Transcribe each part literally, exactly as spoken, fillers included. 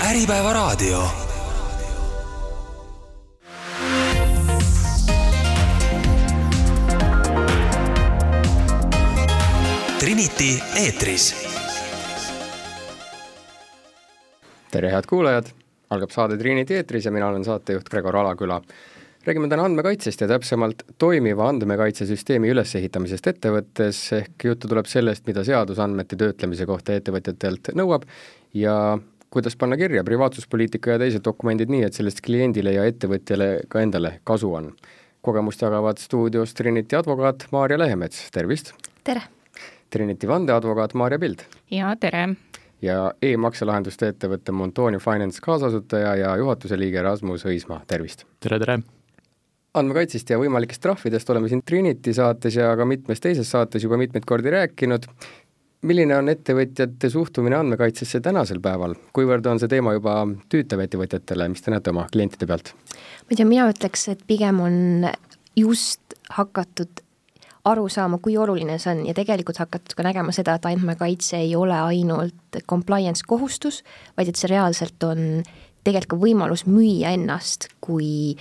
Äripäevaraadio. Trinity eetris. Tere head kuulajad, algab saade Trinity eetris ja mina olen saatejuht Gregor Alaküla. Räägime täna andmekaitsest ja täpsemalt toimiva andmekaitsesüsteemi ülesehitamisest ettevõttes, ehk juttu tuleb sellest, mida seadus andmete töötlemise kohta ettevõtjatelt nõuab ja kuidas panna kirja privaatsuspoliitika ja teised dokumendid nii, et sellest kliendile ja ettevõtjale ka endale kasu on. Kogemust jagavad stuudios Trinity advokaat Maarja Lehemets, tervist! Tere! Trinity vandeadvokaat Maarja Pild. Ja tere! Ja e-makselahenduste ettevõtte Montoni Finance kaasasutaja ja juhatuse liige Rasmus Õismaa, tervist! Tere, tere! Andmekaitsist ja võimalikest trahvidest oleme siin Trinity saates ja ka mitmes teises saates juba mitmeid kordi rääkinud. Milline on ettevõtjate suhtumine andmekaitsesse tänasel päeval? Kuivõrd on see teema juba tüütav ettevõtjatele, mis te näete oma klientide pealt? Ma tea, mina ütleks, et pigem on just hakatud aru saama, kui oluline see on ja tegelikult hakatud ka nägema seda, et andmekaitse ei ole ainult compliance kohustus, vaid et see reaalselt on tegelikult ka võimalus müüa ennast kui,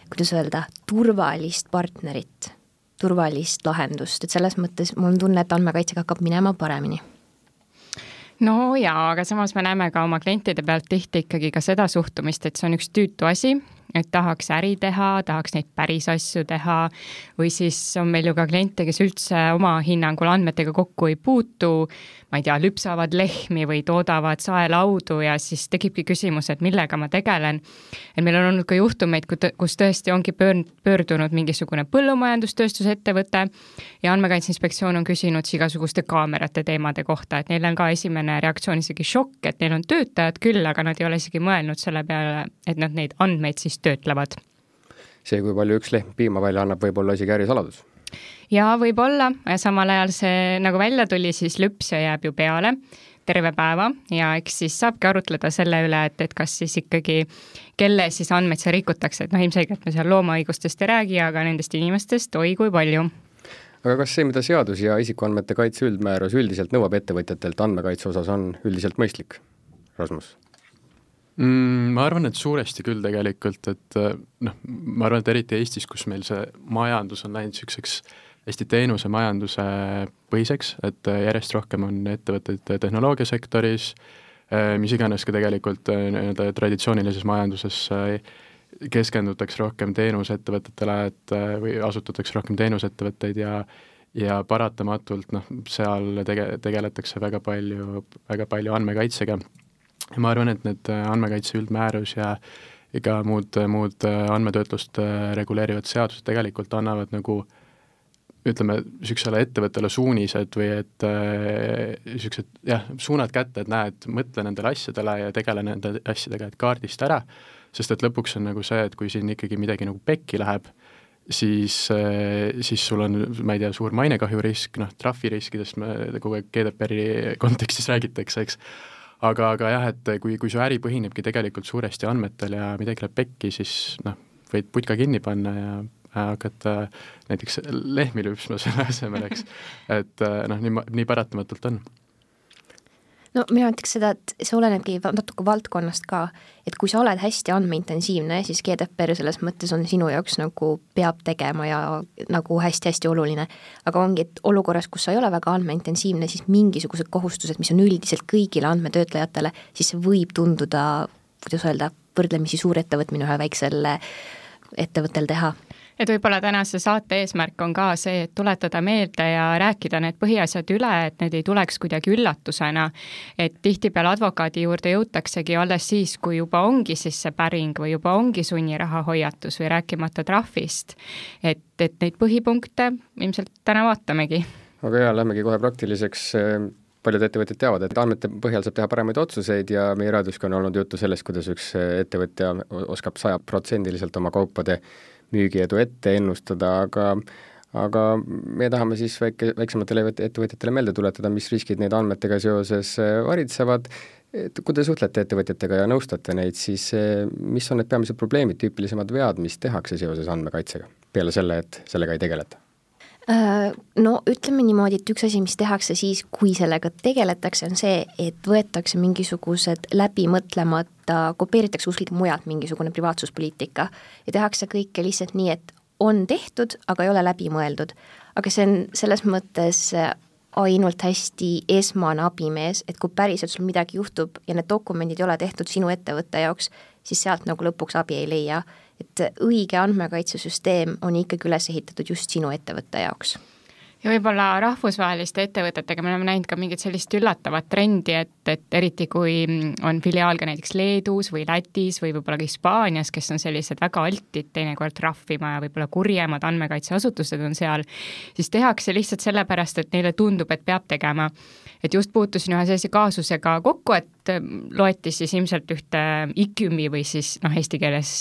kuidas öelda, turvalist partnerit, turvalist lahendust, et selles mõttes mul on tunne, et andmekaitsega hakkab minema paremini. No jaa, aga samas me näeme ka oma klientide pealt tihti ikkagi ka seda suhtumist, et see on üks tüütu asi, et tahaks äri teha, tahaks neid päris asju teha või siis on meil ju ka kliente, kes üldse oma hinnangul andmetega kokku ei puutu, ma ei tea, lüpsavad lehmi või toodavad saelaudu ja siis tekibki küsimus, et millega ma tegelen. Et meil on olnud ka juhtumeid, kus tõesti ongi pöördunud mingisugune põllumajandustööstusettevõte ja andmekaitseinspektsioon on küsinud igasuguste kaamerate teemade kohta, et neil on ka esimene reaktsioon isegi šokk, et neil on töötajad küll, aga nad ei ole isegi mõelnud selle peale, et nad neid andmeid siis töötlevad. See, kui palju üks lehm piima välja annab, võib olla isegi ärisaladus. Ja võib-olla, samal ajal see nagu välja tuli, siis lüpsja jääb ju peale terve päeva ja eks siis saabki arutleda selle üle, et, et kas siis ikkagi, kelle siis andmeid see rikutakse, et noh, ilmselgelt me seal loomaõigustest ei räägi, aga nendest inimestest oi kui palju. Aga kas see, mida seadus ja isikuandmete kaitse üldmäärus üldiselt nõuab ettevõtjatelt andmekaitse osas, on üldiselt mõistlik? Rasmus? Mm, ma arvan, et suuresti küll tegelikult, et noh, ma arvan, et eriti Eestis, kus meil see majandus on läinud selliseks hästi teenuse majanduse põhiseks, et järjest rohkem on ettevõtteid tehnoloogiasektoris, mis iganes ka tegelikult traditsioonilises majanduses keskendutakse rohkem teenusettevõtetele, et või asutatakse rohkem teenusettevõtteid ja ja paratamatult noh, seal tege, tegeletakse väga palju, väga palju andmekaitsega. Ja ma arvan, et need andmekaitse üldmäärus ja ega muud, muud andmetöötlust reguleerivad seadused tegelikult annavad nagu, ütleme, süksele ettevõttele suunised või et süksed, jah, suunad kätte, et näed, mõtle nendele asjadele ja tegele nende asjadega, et kaardist ära, sest et lõpuks on nagu see, et kui siin ikkagi midagi nagu pekki läheb, siis, siis sul on, ma ei tea, suur mainekahjurisk, noh, trahviriskidest kogu aeg G D P R-i kontekstis räägitakse, eks. Aga, aga jah, et kui, kui su äri põhinebki tegelikult suuresti andmetel ja midagi läheb pekki, siis noh, võid putka kinni panna ja hakata näiteks lehmi lüpsma selle asemel, eks. Et noh, nii, nii paratamatult on. No mina ütleks seda, et see olenebki natuke valdkonnast ka, et kui sa oled hästi andmeintensiivne, siis G D P R selles mõttes on sinu jaoks nagu peab tegema ja nagu hästi-hästi oluline. Aga ongi, et olukorras, kus sa ei ole väga andmeintensiivne, siis mingisugused kohustused, mis on üldiselt kõigile andmetöötlejatele, siis see võib tunduda, kuidas öelda, võrdlemisi suur ettevõtmine ühe väiksel ettevõttel teha. Et võib-olla tänase saate eesmärk on ka see, et tuletada meelde ja rääkida need põhiasjad üle, et need ei tuleks kuidagi üllatusena. Et tihtipeale advokaadi juurde jõutaksegi alles siis, kui juba ongi siis see päring või juba ongi sunniraha hoiatus või rääkimata trahvist. Et, et neid põhipunkte ilmselt täna vaatamegi. Aga jah, lähmegi kohe praktiliseks. Paljud ettevõtjad teavad, et andmete põhjal saab teha paremaid otsuseid ja meie raadioski on olnud juttu sellest, kuidas üks ettevõtja oskab sajaprotsendiliselt oma kaupade müügiedu ette ennustada, aga, aga me tahame siis väike, väiksematele ettevõtjatele meelde tuletada, mis riskid neid andmetega seoses varitsevad. Kui te suhtlete ettevõtjatega ja nõustate neid, siis mis on need peamised probleemid, tüüpilisemad vead, mis tehakse seoses andmekaitsega, peale selle, et sellega ei tegeleta? No ütleme niimoodi, et üks asi, mis tehakse siis, kui sellega tegeletakse, on see, et võetakse mingisugused läbimõtlemata, kopeeritakse kuskilt mujalt mingisugune privaatsuspoliitika ja tehakse kõike lihtsalt nii, et on tehtud, aga ei ole läbi mõeldud. Aga see on selles mõttes ainult hästi esmane abimees, et kui päriselt sul midagi juhtub ja need dokumendid ei ole tehtud sinu ettevõtte jaoks, siis sealt nagu lõpuks abi ei leia. Et õige andmekaitsesüsteem on ikkagi üles ehitatud just sinu ettevõtte jaoks. Ja võib-olla rahvusvaheliste ettevõtetega me oleme näinud ka mingit sellist üllatavat trendi, et, et eriti kui on filiaal ka näiteks Leedus või Lätis või võib-olla ka Hispaanias, kes on sellised väga altid teinekord trahvima ja võib-olla kurjemad andmekaitseasutused on seal, siis tehakse lihtsalt sellepärast, et neile tundub, et peab tegema. Et just puutusin ühe sellise kaasusega kokku, et loeti siis ilmselt ühte I C U M-i või siis noh, eesti keeles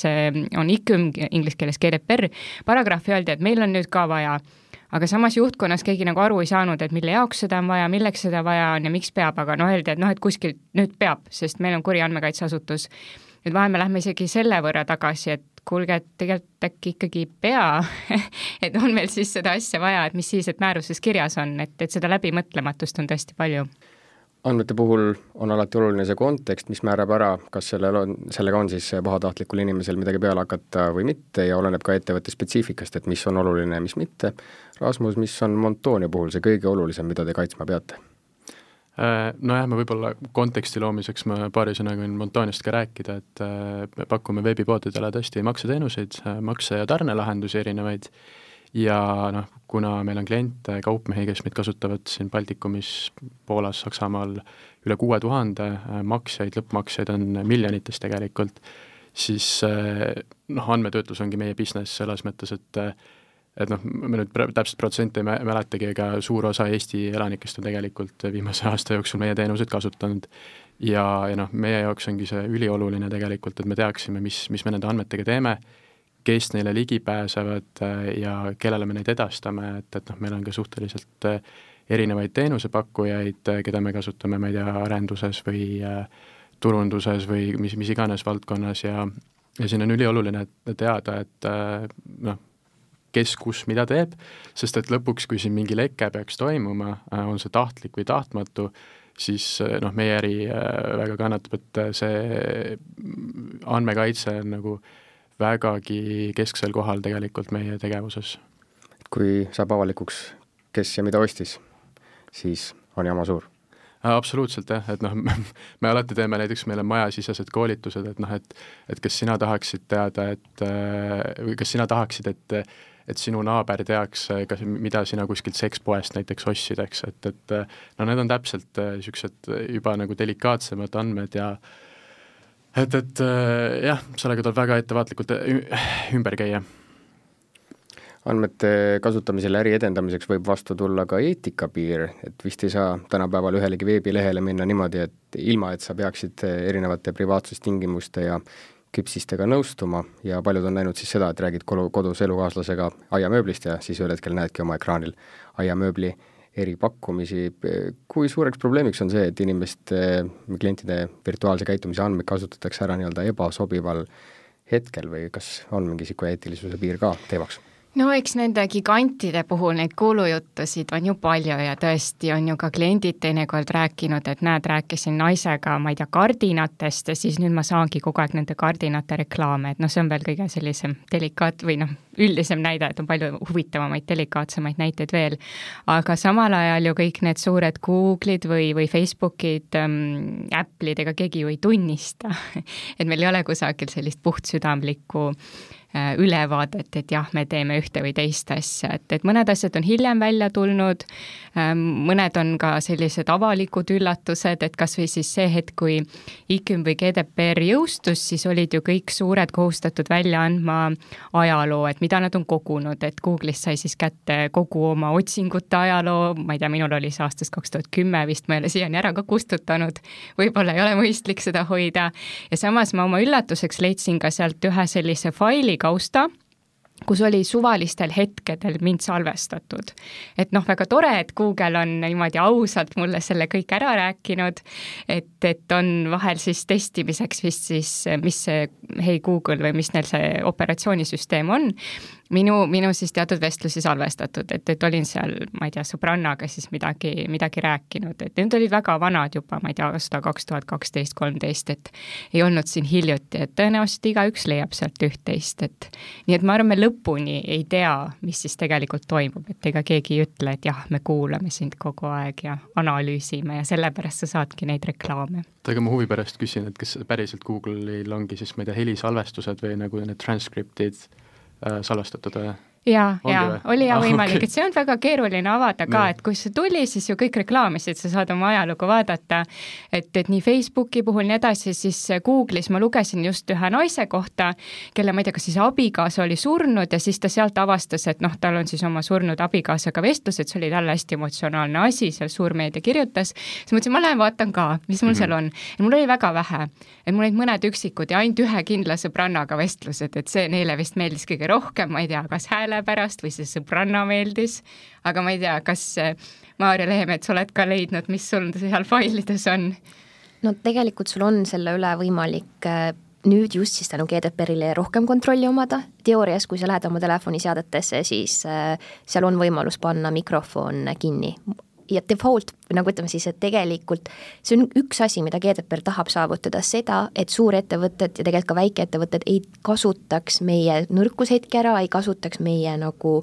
on I C U M, inglise keeles G D P R, paragrahvi öeldi, et meil on nüüd ka vaja, aga samas juhtkonnas keegi nagu aru ei saanud, et mille jaoks seda on vaja, milleks seda vaja on ja miks peab, aga noh, öeldi, et noh, et kuskil nüüd peab, sest meil on kuri andmekaitseasutus. Nüüd vahel me lähme isegi selle võrra tagasi, et kuulge, et tegelikult äkki ikkagi pea, et on meil siis seda asja vaja, et mis siis, et määruses kirjas on, et, et seda läbimõtlematust on tõesti palju. Andmete puhul on alati oluline see kontekst, mis määrab ära, kas sellel on, sellega on siis pahatahtlikul inimesel midagi peale hakata või mitte ja oleneb ka ettevõtte spetsiifikast, et mis on oluline ja mis mitte. Rasmus, mis on Montoonia puhul see kõige olulisem, mida te kaitsma peate? Nojah, me võib-olla konteksti loomiseks ma paari sõnaga võin Montooniast ka rääkida, et me pakume veebipoodidele tõesti makseteenuseid, makse- ja tarnelahendusi erinevaid ja noh, kuna meil on kliente, kaupmehi, kes meid kasutavad siin Baltikumis, Poolas, Saksamaal üle kuue tuhande maksjaid, lõppmaksjaid on miljonites tegelikult, siis noh, andmetöötlus ongi meie business selles mõttes, et et noh, me nüüd täpselt protsenti ei mäletagi, ega suur osa Eesti elanikest on tegelikult viimase aasta jooksul meie teenuseid kasutanud ja, ja noh, meie jaoks ongi see ülioluline tegelikult, et me teaksime, mis, mis me nende andmetega teeme, kes neile ligi pääsevad ja kellele me neid edastame, et, et noh, meil on ka suhteliselt erinevaid teenusepakkujaid, keda me kasutame, ma ei tea, arenduses või turunduses või mis, mis iganes valdkonnas ja, ja siin on ülioluline teada, et noh, kes kus mida teeb, sest et lõpuks, kui siin mingi leke peaks toimuma, on see tahtlik või tahtmatu, siis noh, meie äri väga kannatab, et see andmekaitse on nagu vägagi kesksel kohal tegelikult meie tegevuses. Kui saab avalikuks, kes ja mida ostis, siis on jama suur. Absoluutselt jah, et noh, me alati teeme näiteks meile majasisesed koolitused, et noh, et, et kas sina tahaksid teada, et või kas sina tahaksid, et et sinu naaber teaks, kas, mida sina kuskilt sekspoest näiteks ostsid, eks, et, et no need on täpselt niisugused juba nagu delikaatsemad andmed ja et, et jah, sellega tuleb väga ettevaatlikult ümber käia. Andmete kasutamisel äri edendamiseks võib vastu tulla ka eetikapiir, et vist ei saa tänapäeval ühelegi veebilehele minna niimoodi, et ilma, et sa peaksid erinevate privaatsustingimuste ja küpsistega nõustuma ja paljud on näinud siis seda, et räägid kodus elukaaslasega aiamööblist ja siis ühel hetkel näedki oma ekraanil aiamööbli eripakkumisi. Kui suureks probleemiks on see, et inimeste, klientide virtuaalse käitumise andmeid kasutatakse ära nii-öelda ebasobival hetkel või kas on mingi siku eetilisuse piir ka teemaks? No eks nende gigantide puhul neid kuulujuttusid on ju palju ja tõesti on ju ka kliendid teinekord rääkinud, et näed, rääkisin naisega, ma ei tea, kardinatest ja siis nüüd ma saangi kogu aeg nende kardinate reklaame, et noh, see on veel kõige sellisem delikaat või noh, üldisem näide, et on palju huvitavamaid, delikaatsemaid näiteid veel, aga samal ajal ju kõik need suured Google'id või, või Facebookid ähm,, Apple'id, ega keegi ju ei tunnista, et meil ei ole kusagil sellist puhtsüdamlikku ülevaadet, et jah, me teeme ühte või teist asja, et, et mõned asjad on hiljem välja tulnud, mõned on ka sellised avalikud üllatused, et kas või siis see hetk, kui I C U M või G D P R jõustus, siis olid ju kõik suured kohustatud välja andma ajaloo, et mida nad on kogunud, et Google'ist sai siis kätte kogu oma otsingute ajaloo, ma ei tea, minul oli see aastast kaks tuhat kümme vist, ma ei ole siiani ära ka kustutanud, võib-olla ei ole mõistlik seda hoida ja samas ma oma üllatuseks leidsin ka sealt ühe sellise faili kausta, kus oli suvalistel hetkedel mind salvestatud. Et noh, väga tore, et Google on niimoodi ausalt mulle selle kõik ära rääkinud, et, et on vahel siis testimiseks vist siis, mis see Hey Google või mis neil see operatsioonisüsteem on, minu, minu siis teatud vestlusi salvestatud, et, et olin seal, ma ei tea, sõbrannaga siis midagi, midagi rääkinud, et need olid väga vanad juba, ma ei tea, aasta kaks tuhat kaksteist kolmteist, et ei olnud siin hiljuti, et tõenäoliselt igaüks leiab sealt üht-teist, et nii et ma arvan, me lõpuni ei tea, mis siis tegelikult toimub, et ega keegi ei ütle, et jah, me kuulame sind kogu aeg ja analüüsime ja sellepärast sa saadki neid reklaame. aga ma huvi pärast küsin, et kas päriselt Google'il ongi siis, ma ei tea, helisalvestused või nagu need transcriptid äh, salvestatud või? Jaa, jaa, oli ja ah, võimalik, okay. et see on väga keeruline avada ka, et kui see tuli, siis ju kõik reklaamisid, sa saad oma ajalugu vaadata, et, et nii Facebooki puhul nii edasi, siis Google'is ma lugesin just ühe naise kohta, kelle ma ei tea, kas siis abikaasa oli surnud ja siis ta sealt avastas, et noh, tal on siis oma surnud abikaasaga vestlus, et see oli talle hästi emotsionaalne asi, seal suurmeedia kirjutas, siis mõtlesin, ma lähen vaatan ka, mis mul seal on. Ja mul oli väga vähe, et mul olid mõned üksikud ja ainult ühe kindla sõbrannaga vestlused, et see neile vist meeldis kõige rohkem, ma ei tea, kas hääle pärast või see sõbranna meeldis, aga ma ei tea, kas Maarja Lehemets oled ka leidnud, mis sul seal failides on? No tegelikult sul on selle üle võimalik nüüd just siis tänu G D P R-ile rohkem kontrolli omada. Teoorias, kui sa lähed oma telefoniseadetesse, siis seal on võimalus panna mikrofon kinni. Ja default, nagu ütleme siis, et tegelikult see on üks asi, mida G D P R tahab saavutada seda, et suurettevõtted ja tegelikult ka väikeettevõtted ei kasutaks meie nõrkushetki ära, ei kasutaks meie nagu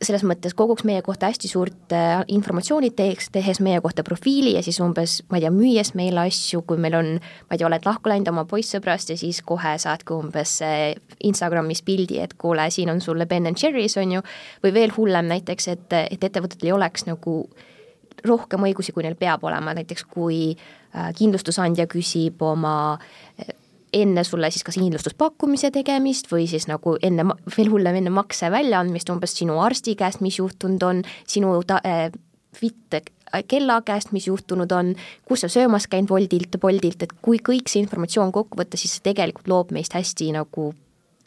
selles mõttes koguks meie kohta hästi suurt informatsiooni teeks, tehes meie kohta profiili ja siis umbes, ma ei tea, müües meile asju, kui meil on, ma ei tea, oled lahku läinud oma poissõbrast ja siis kohe saadki umbes Instagramis pildi, et kuule, siin on sulle Ben and Jerry's, on ju, või veel hullem näiteks, et, et ettevõtetel ei oleks nagu rohkem õigusi, kui neil peab olema, näiteks kui kindlustusandja küsib oma enne sulle siis kas kindlustuspakkumise tegemist või siis nagu enne, veel hullem enne makse väljaandmist, umbes sinu arsti käest, mis juhtunud on, sinu ta, äh, fit kella käest, mis juhtunud on, kus sa söömas käinud Woldilt, Boldilt, et kui kõik see informatsioon kokku võtta, siis see tegelikult loob meist hästi nagu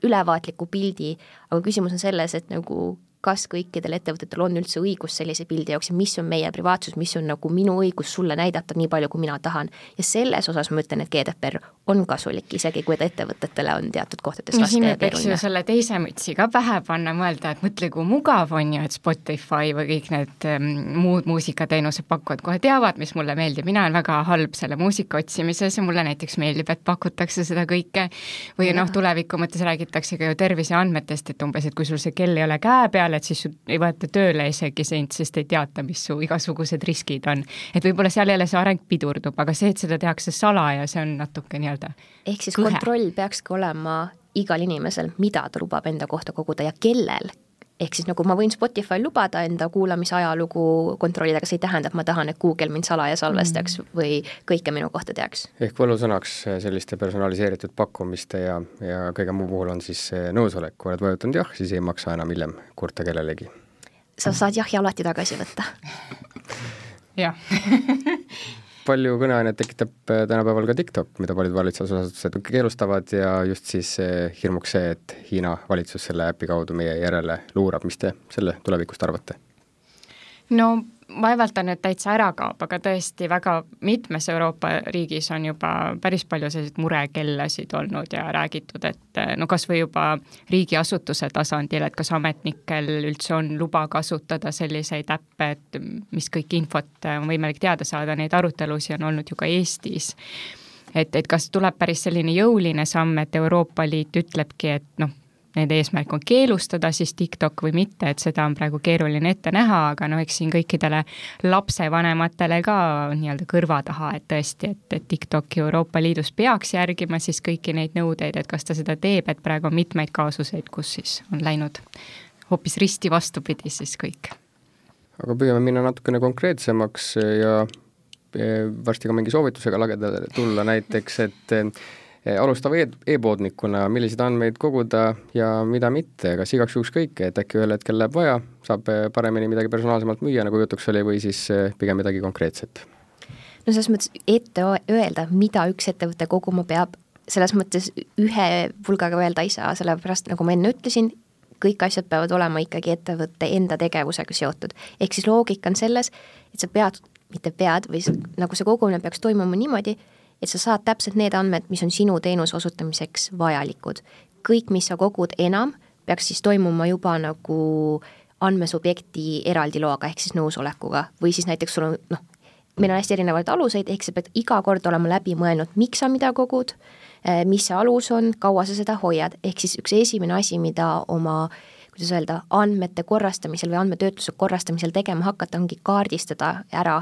ülevaatliku pildi, aga küsimus on selles, et nagu kas kõikidel ettevõtetel on üldse õigus sellise pildi jaoks ja mis on meie privaatsus, mis on nagu minu õigus sulle näidata nii palju, kui mina tahan. Ja selles osas ma ütlen, et G D P R on kasulik, isegi kui ettevõtetele on teatud kohtades raske ja peaks ju selle teise mütsi ka pähe panna, mõelda, et mõtle, kui mugav on ju, et Spotify või kõik need um, muud muusikateenused pakuvad, kohe teavad, mis mulle meeldib. Mina olen väga halb selle muusika otsimises ja mulle näiteks meeldib, et pakutakse seda kõike. Või noh, tuleviku mõttes räägitakse ka ju terviseandmetest, et umbes, et kui sul see kell ei ole käe peal, et siis ei võeta tööle isegi sind, sest ei teata, mis su igasugused riskid on. Et võib-olla seal jälle see areng pidurdub, aga see, et seda tehakse salaja, see on natuke nii-öelda ehk siis kõhe. Kontroll peakski olema igal inimesel, mida ta lubab enda kohta koguda ja kellel. Ehk siis nagu ma võin Spotify lubada enda kuulamise ajalugu kontrollida, aga see ei tähenda, et ma tahan, et Google mind salaja salvestaks mm. või kõike minu kohta teaks. Ehk võlusõnaks selliste personaliseeritud pakkumiste ja, ja kõige muu puhul on siis nõusolek, kui oled vajutanud jah, siis ei maksa enam hiljem kurta kellelegi. Sa saad jah ja alati tagasi võtta. jah. Palju kõneainet tekitab tänapäeval ka TikTok, mida paljud valitsusasutused keelustavad ja just siis hirmuks see, et Hiina valitsus selle äpi kaudu meie järele luurab. Mis te selle tulevikust arvate? No vaevalt ta nüüd täitsa ära kaob, aga tõesti väga mitmes Euroopa riigis on juba päris palju selliseid murekellasid olnud ja räägitud, et no kas või juba riigiasutuse tasandil, et kas ametnikel üldse on luba kasutada selliseid äppe, et mis kõik infot on võimalik teada saada, neid arutelusi on olnud ju ka Eestis. Et, et kas tuleb päris selline jõuline samm, et Euroopa Liit ütlebki, et noh, nende eesmärk on keelustada siis TikTok või mitte, et seda on praegu keeruline ette näha, aga no eks siin kõikidele lapsevanematele ka nii-öelda kõrva taha, et tõesti, et, et TikTok Euroopa Liidus peaks järgima siis kõiki neid nõudeid, et kas ta seda teeb, et praegu on mitmeid kaasuseid, kus siis on läinud hoopis risti vastupidi siis kõik. Aga püüame minna natukene konkreetsemaks ja varsti ka mingi soovitusega lageda tulla näiteks, et alustava e-poodnikuna, milliseid andmeid koguda ja mida mitte, kas igaks juhuks kõike, et äkki ühel hetkel läheb vaja, saab paremini midagi personaalsemalt müüa, nagu jutuks oli, või siis pigem midagi konkreetset? No selles mõttes ette öelda, mida üks ettevõte koguma peab, selles mõttes ühe pulgaga öelda ei saa, sellepärast nagu ma enne ütlesin, kõik asjad peavad olema ikkagi ettevõtte enda tegevusega seotud. Ehk siis loogika on selles, et sa pead, mitte pead, või nagu see kogumine peaks toimuma niimoodi, et sa saad täpselt need andmed, mis on sinu teenuse osutamiseks vajalikud. Kõik, mis sa kogud enam, peaks siis toimuma juba nagu andmesubjekti eraldi loaga ehk siis nõusolekuga või siis näiteks sul on, noh, meil on hästi erinevaid aluseid, ehk sa pead iga kord olema läbi mõelnud, miks sa mida kogud, mis see alus on, kaua sa seda hoiad, ehk siis üks esimene asi, mida oma, kuidas öelda, andmete korrastamisel või andmetöötluse korrastamisel tegema hakata, ongi kaardistada ära,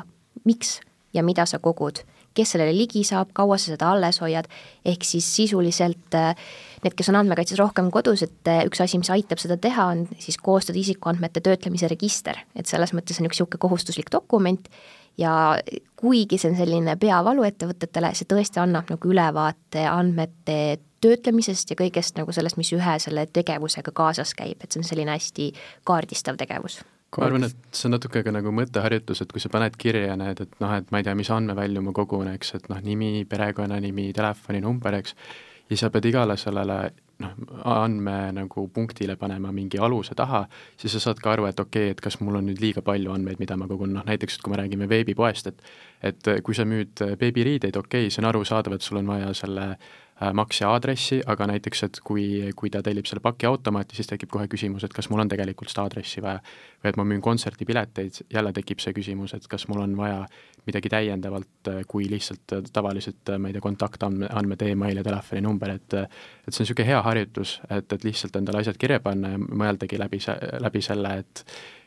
miks ja mida sa kogud, kes sellele ligi saab, kaua sa seda alles hoiad, ehk siis sisuliselt need, kes on andmekaitses rohkem kodus, et üks asi, mis aitab seda teha, on siis koostada isikuandmete töötlemise register, et selles mõttes on üks niisugune kohustuslik dokument ja kuigi see on selline peavalu ettevõtetele, see tõesti annab nagu ülevaate andmete töötlemisest ja kõigest nagu sellest, mis ühe selle tegevusega kaasas käib, et see on selline hästi kaardistav tegevus. Ma arvan, et see on natuke ka nagu mõtteharjutus, et kui sa paned kirja need, et noh, et ma ei tea, mis andmevälju ma kogun, eks, et noh, nimi, perekonnanimi, telefoninumber, eks, ja sa pead igale sellele noh, andme nagu punktile panema mingi aluse taha, siis sa saad ka aru, et okei, okay, et kas mul on nüüd liiga palju andmeid, mida ma kogun, noh näiteks, et kui me räägime veebipoest, et et kui sa müüd beebiriideid, okei okay,, see on arusaadav, et sul on vaja selle maksja aadressi, aga näiteks, et kui, kui ta tellib selle paki automaati, siis tekib kohe küsimus, et kas mul on tegelikult seda aadressi vaja või et ma müün kontserdipileteid, jälle tekib see küsimus, et kas mul on vaja midagi täiendavalt, kui lihtsalt tavaliselt, ma ei tea, kontaktandmed, email ja telefoninumber, et et see on niisugune hea harjutus, et, et lihtsalt endale asjad kirja panna ja mõeldagi läbi, läbi selle, et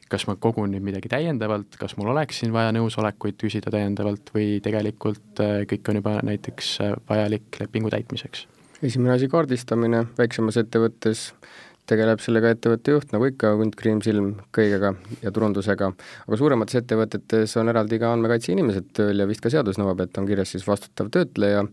kas ma kogun nüüd midagi täiendavalt, kas mul oleks siin vaja nõusolekuid küsida täiendavalt või tegelikult kõik on juba näiteks vajalik lepingu täitmiseks. Esimene asi kaardistamine, väiksemas ettevõttes tegeleb sellega ettevõtte juht, nagu ikka, hunt, kriimsilm kõigega ja turundusega, aga suuremates ettevõtetes on eraldi ka andmekaitse inimesed tööl ja vist ka seadus nõuab, et on kirjas siis vastutav töötleja.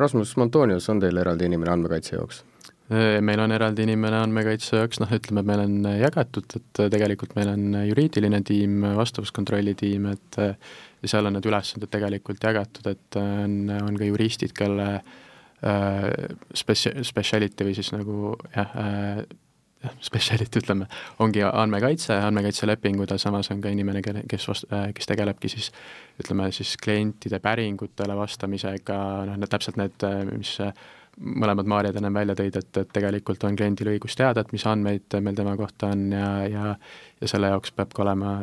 Rasmus Montonius, on teil eraldi inimene andmekaitse jaoks? Meil on eraldi inimene andmekaitse jaoks, noh ütleme, meil on jagatud, et tegelikult meil on juriidiline tiim, vastavuskontrolli tiim, et ja seal on need ülesanded tegelikult jagatud, et on, on ka juristid, kelle äh, speci-, speciality või siis nagu jah, äh, speciality ütleme, ongi andmekaitse, andmekaitselepingud ja samas on ka inimene, kes, vast, kes tegelebki siis ütleme siis klientide päringutele vastamisega, noh need täpselt need, mis mõlemad Maarjad ennem välja tõid, et, et tegelikult on kliendil õigus teada, et mis andmeid meil tema kohta on ja, ja, ja selle jaoks peab ka olema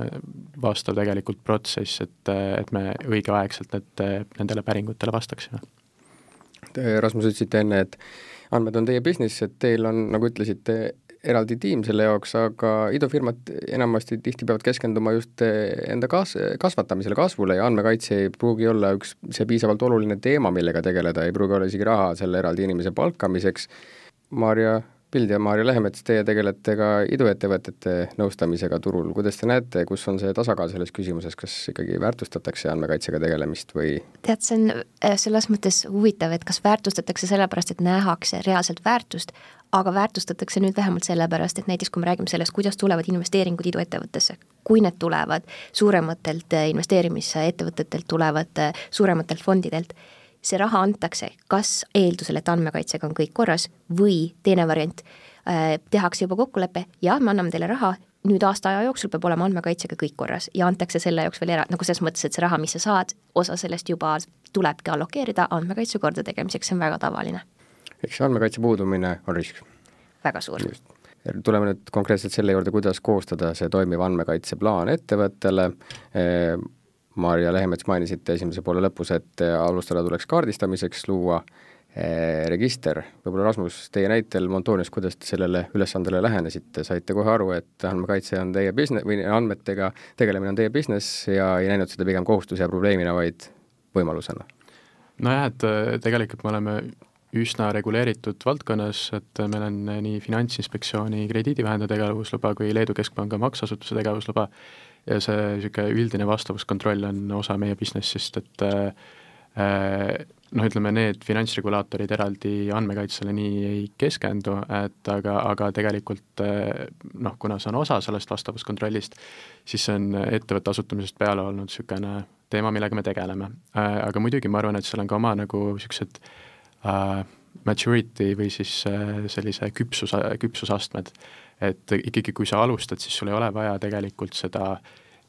vastav tegelikult protsess, et, et me õigeaegselt need, nendele päringutele vastaksime. Rasmus, ütlesite enne, et andmed on teie business, et teil on, nagu ütlesite, eraldi tiim selle jaoks, aga idufirmad enamasti tihti peavad keskenduma just enda kas-, kasvatamisele, kasvule ja andmekaitse ei pruugi olla üks see piisavalt oluline teema, millega tegeleda, ei pruugi olla isegi raha selle eraldi inimese palkamiseks. Maarja Pild ja Maarja Lehemets, teie tegelete ka iduettevõtete nõustamisega turul. Kuidas te näete, kus on see tasakaal selles küsimuses, kas ikkagi väärtustatakse andmekaitsega tegelemist või? Tead, see on selles mõttes huvitav, et kas väärtustatakse sellepärast, et nähakse reaalselt väärtust, aga väärtustatakse nüüd vähemalt sellepärast, et näiteks kui me räägime sellest, kuidas tulevad investeeringud iduettevõttesse, kui need tulevad suurematelt investeerimisettevõtetelt, tulevad suurematelt fondidelt, see raha antakse kas eeldusel, et andmekaitsega on kõik korras või teine variant, äh, tehakse juba kokkulepe, jah, me anname teile raha, nüüd aasta aja jooksul peab olema andmekaitsega kõik korras ja antakse selle jaoks veel era-, nagu selles mõttes, et see raha, mis sa saad, osa sellest juba tulebki allokeerida andmekaitse korda tegemiseks, see on väga tavaline. Eks see andmekaitse puudumine on risk? Väga suur. Just. Tuleme nüüd konkreetselt selle juurde, kuidas koostada see toimiv andmekaitseplaan ettevõttele. Maarja Lehemets mainisite esimese poole lõpus, et alustada tuleks kaardistamiseks luua eh, register. Võib-olla Rasmus, teie näitel Montonius, kuidas te sellele ülesandele lähenesite? Saite kohe aru, et andmekaitse on teie business või andmetega tegelemine on teie business ja ei näinud seda pigem kohustuse ja probleemina, vaid võimalusena? Nojah, et tegelikult me oleme üsna reguleeritud valdkonnas, et meil on nii Finantsinspektsiooni krediidivahendaja tegevusluba kui Leedu Keskpanga maksasutuse tegevusluba ja see niisugune üldine vastavuskontroll on osa meie businessist, et noh, ütleme, need finantsregulaatorid eraldi andmekaitsele nii ei keskendu, et aga, aga tegelikult noh, kuna see on osa sellest vastavuskontrollist, siis see on ettevõtte asutamisest peale olnud niisugune teema, millega me tegeleme. Aga muidugi ma arvan, et seal on ka oma nagu niisugused uh, maturity või siis uh, sellise küpsus, küpsusastmed, et ikkagi kui sa alustad, siis sul ei ole vaja tegelikult seda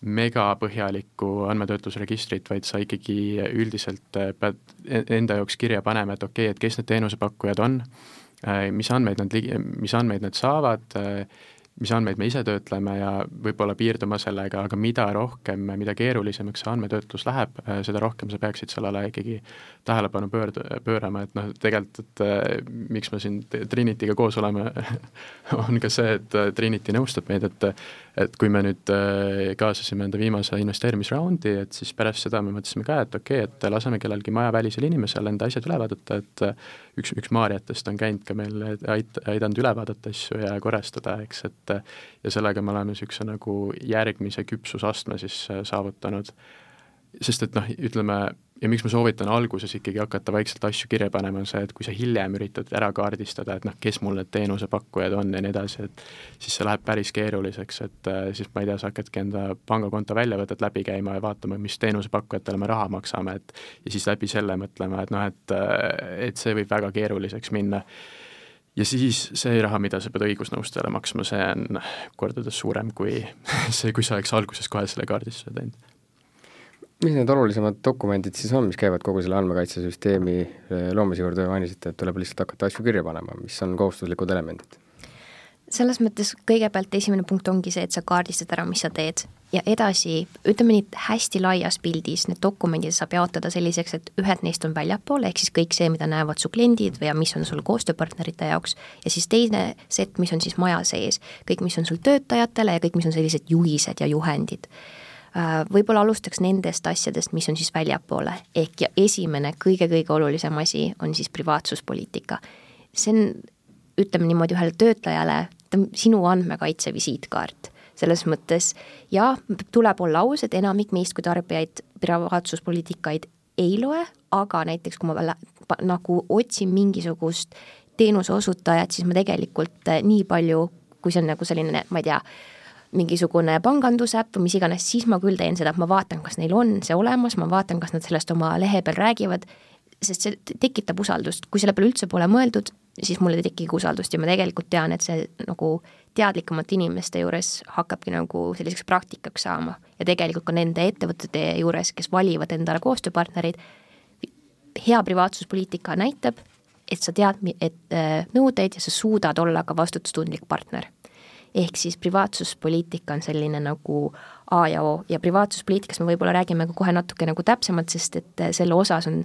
megapõhjalikku andmetöötlusregistrit, vaid sa ikkagi üldiselt pead enda jaoks kirja panema, et okei, et kes need teenusepakkujad on, mis andmeid nad, mis andmeid nad saavad, mis andmeid me ise töötleme ja võib-olla piirduma sellega, aga mida rohkem, mida keerulisemaks see andmetöötlus läheb, seda rohkem sa peaksid sellele ikkagi tähelepanu pöörd, pöörama, et noh, tegelikult, et miks me siin Trinityga koos oleme, on ka see, et Trinity nõustab meid, et et kui me nüüd kaasasime enda viimase investeerimisraundi, et siis pärast seda me mõtlesime ka, et okei, okay, et laseme kellelgi majavälisel inimesel enda asjad üle vaadata, et üks, üks Maarjatest on käinud ka meil ait, aidanud üle vaadata asju ja korrastada, eks, et ja sellega me oleme niisuguse nagu järgmise küpsusastme siis saavutanud. Sest et noh, ütleme, ja miks ma soovitan alguses ikkagi hakata vaikselt asju kirja panema, on see, et kui sa hiljem üritad ära kaardistada, et noh, kes mul need teenusepakkujad on ja nii edasi, et siis see läheb päris keeruliseks, et siis ma ei tea, sa hakkadki enda pangakonto väljavõtet läbi käima ja vaatama, mis teenusepakkujatele me raha maksame, et ja siis läbi selle mõtlema, et noh, et, et see võib väga keeruliseks minna. Ja siis see raha, mida sa pead õigusnõustajale maksma, see on kordades suurem kui see, kui sa oleks alguses kohe selle kaardistuse teinud. Mis need olulisemad dokumendid siis on, mis käivad kogu selle andmekaitsesüsteemi loomise juurde, mainisite, et tuleb lihtsalt hakata asju kirja panema, mis on kohustuslikud elemendid? Selles mõttes kõigepealt esimene punkt ongi see, et sa kaardistad ära, mis sa teed ja edasi, ütleme nii hästi laias pildis, need dokumendid saab jaotada selliseks, et ühed neist on väljapoole, ehk siis kõik see, mida näevad su kliendid või mis on sul koostööpartnerite jaoks ja siis teine set, mis on siis maja sees, kõik, mis on sul töötajatele ja kõik, mis on sellised juhised ja juhendid. Võib-olla alustaks nendest asjadest, mis on siis väljapoole, ehk ja esimene kõige-kõige olulisem asi on siis privaatsuspoliitika. See on, ütleme niimoodi ühele töötajale, sinu andmekaitse visiitkaart. Selles mõttes, ja tuleb olla aus, et enamik meist kui tarbijaid privaatsuspoliitikaid ei loe, aga näiteks kui ma nagu otsin mingisugust teenuse osutajat, siis ma tegelikult nii palju, kui see on nagu selline, ma ei tea, mingisugune pangandusäpp või mis iganes, siis ma küll teen seda, et ma vaatan, kas neil on see olemas, ma vaatan, kas nad sellest oma lehe peal räägivad, sest see tekitab usaldust. Kui selle peale üldse pole mõeldud, siis mulle tekib usaldust ja ma tegelikult tean, et see nagu teadlikumate inimeste juures hakkabki nagu selliseks praktikaks saama ja tegelikult ka nende ettevõtete juures, kes valivad endale koostööpartnerid, hea privaatsuspoliitika näitab, et sa tead, et nõudeid ja sa suudad olla ka vastutustundlik partner. Ehk siis privaatsuspoliitika on selline nagu A ja O ja privaatsuspoliitikast me võib-olla räägime ka kohe natuke nagu täpsemalt, sest et selle osas on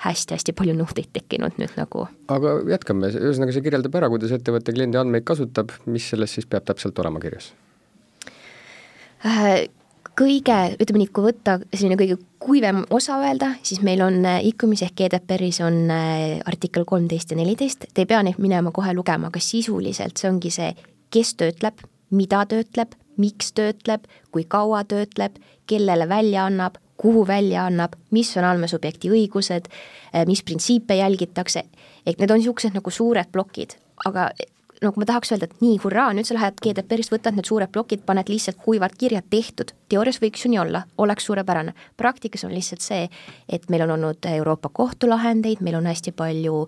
hästi-hästi palju nõudeid tekkinud nüüd nagu. Aga jätkame, ühesõnaga see kirjeldab ära, kuidas ettevõtte kliendi andmeid kasutab, mis sellest siis peab täpselt olema kirjas? Kõige, ütleme nii, kui võtta selline kõige kuivem osa öelda, siis meil on e-commerce ehk G D P R-is on artikkel kolmteist ja neliteist, te ei pea neid minema kohe lugema, aga sisuliselt see ongi see, kes töötleb, mida töötleb, miks töötleb, kui kaua töötleb, kellele välja annab, kuhu välja annab, mis on andmesubjekti õigused, mis printsiipe jälgitakse, ehk need on niisugused nagu suured plokid, aga nagu ma tahaks öelda, et nii, hurraa, nüüd sa lähed G D P R-ist, võtad need suured plokid, paned lihtsalt kuivad kirjad tehtud, teoorias võiks ju nii olla, oleks suurepärane. Praktikas on lihtsalt see, et meil on olnud Euroopa kohtulahendeid, meil on hästi palju,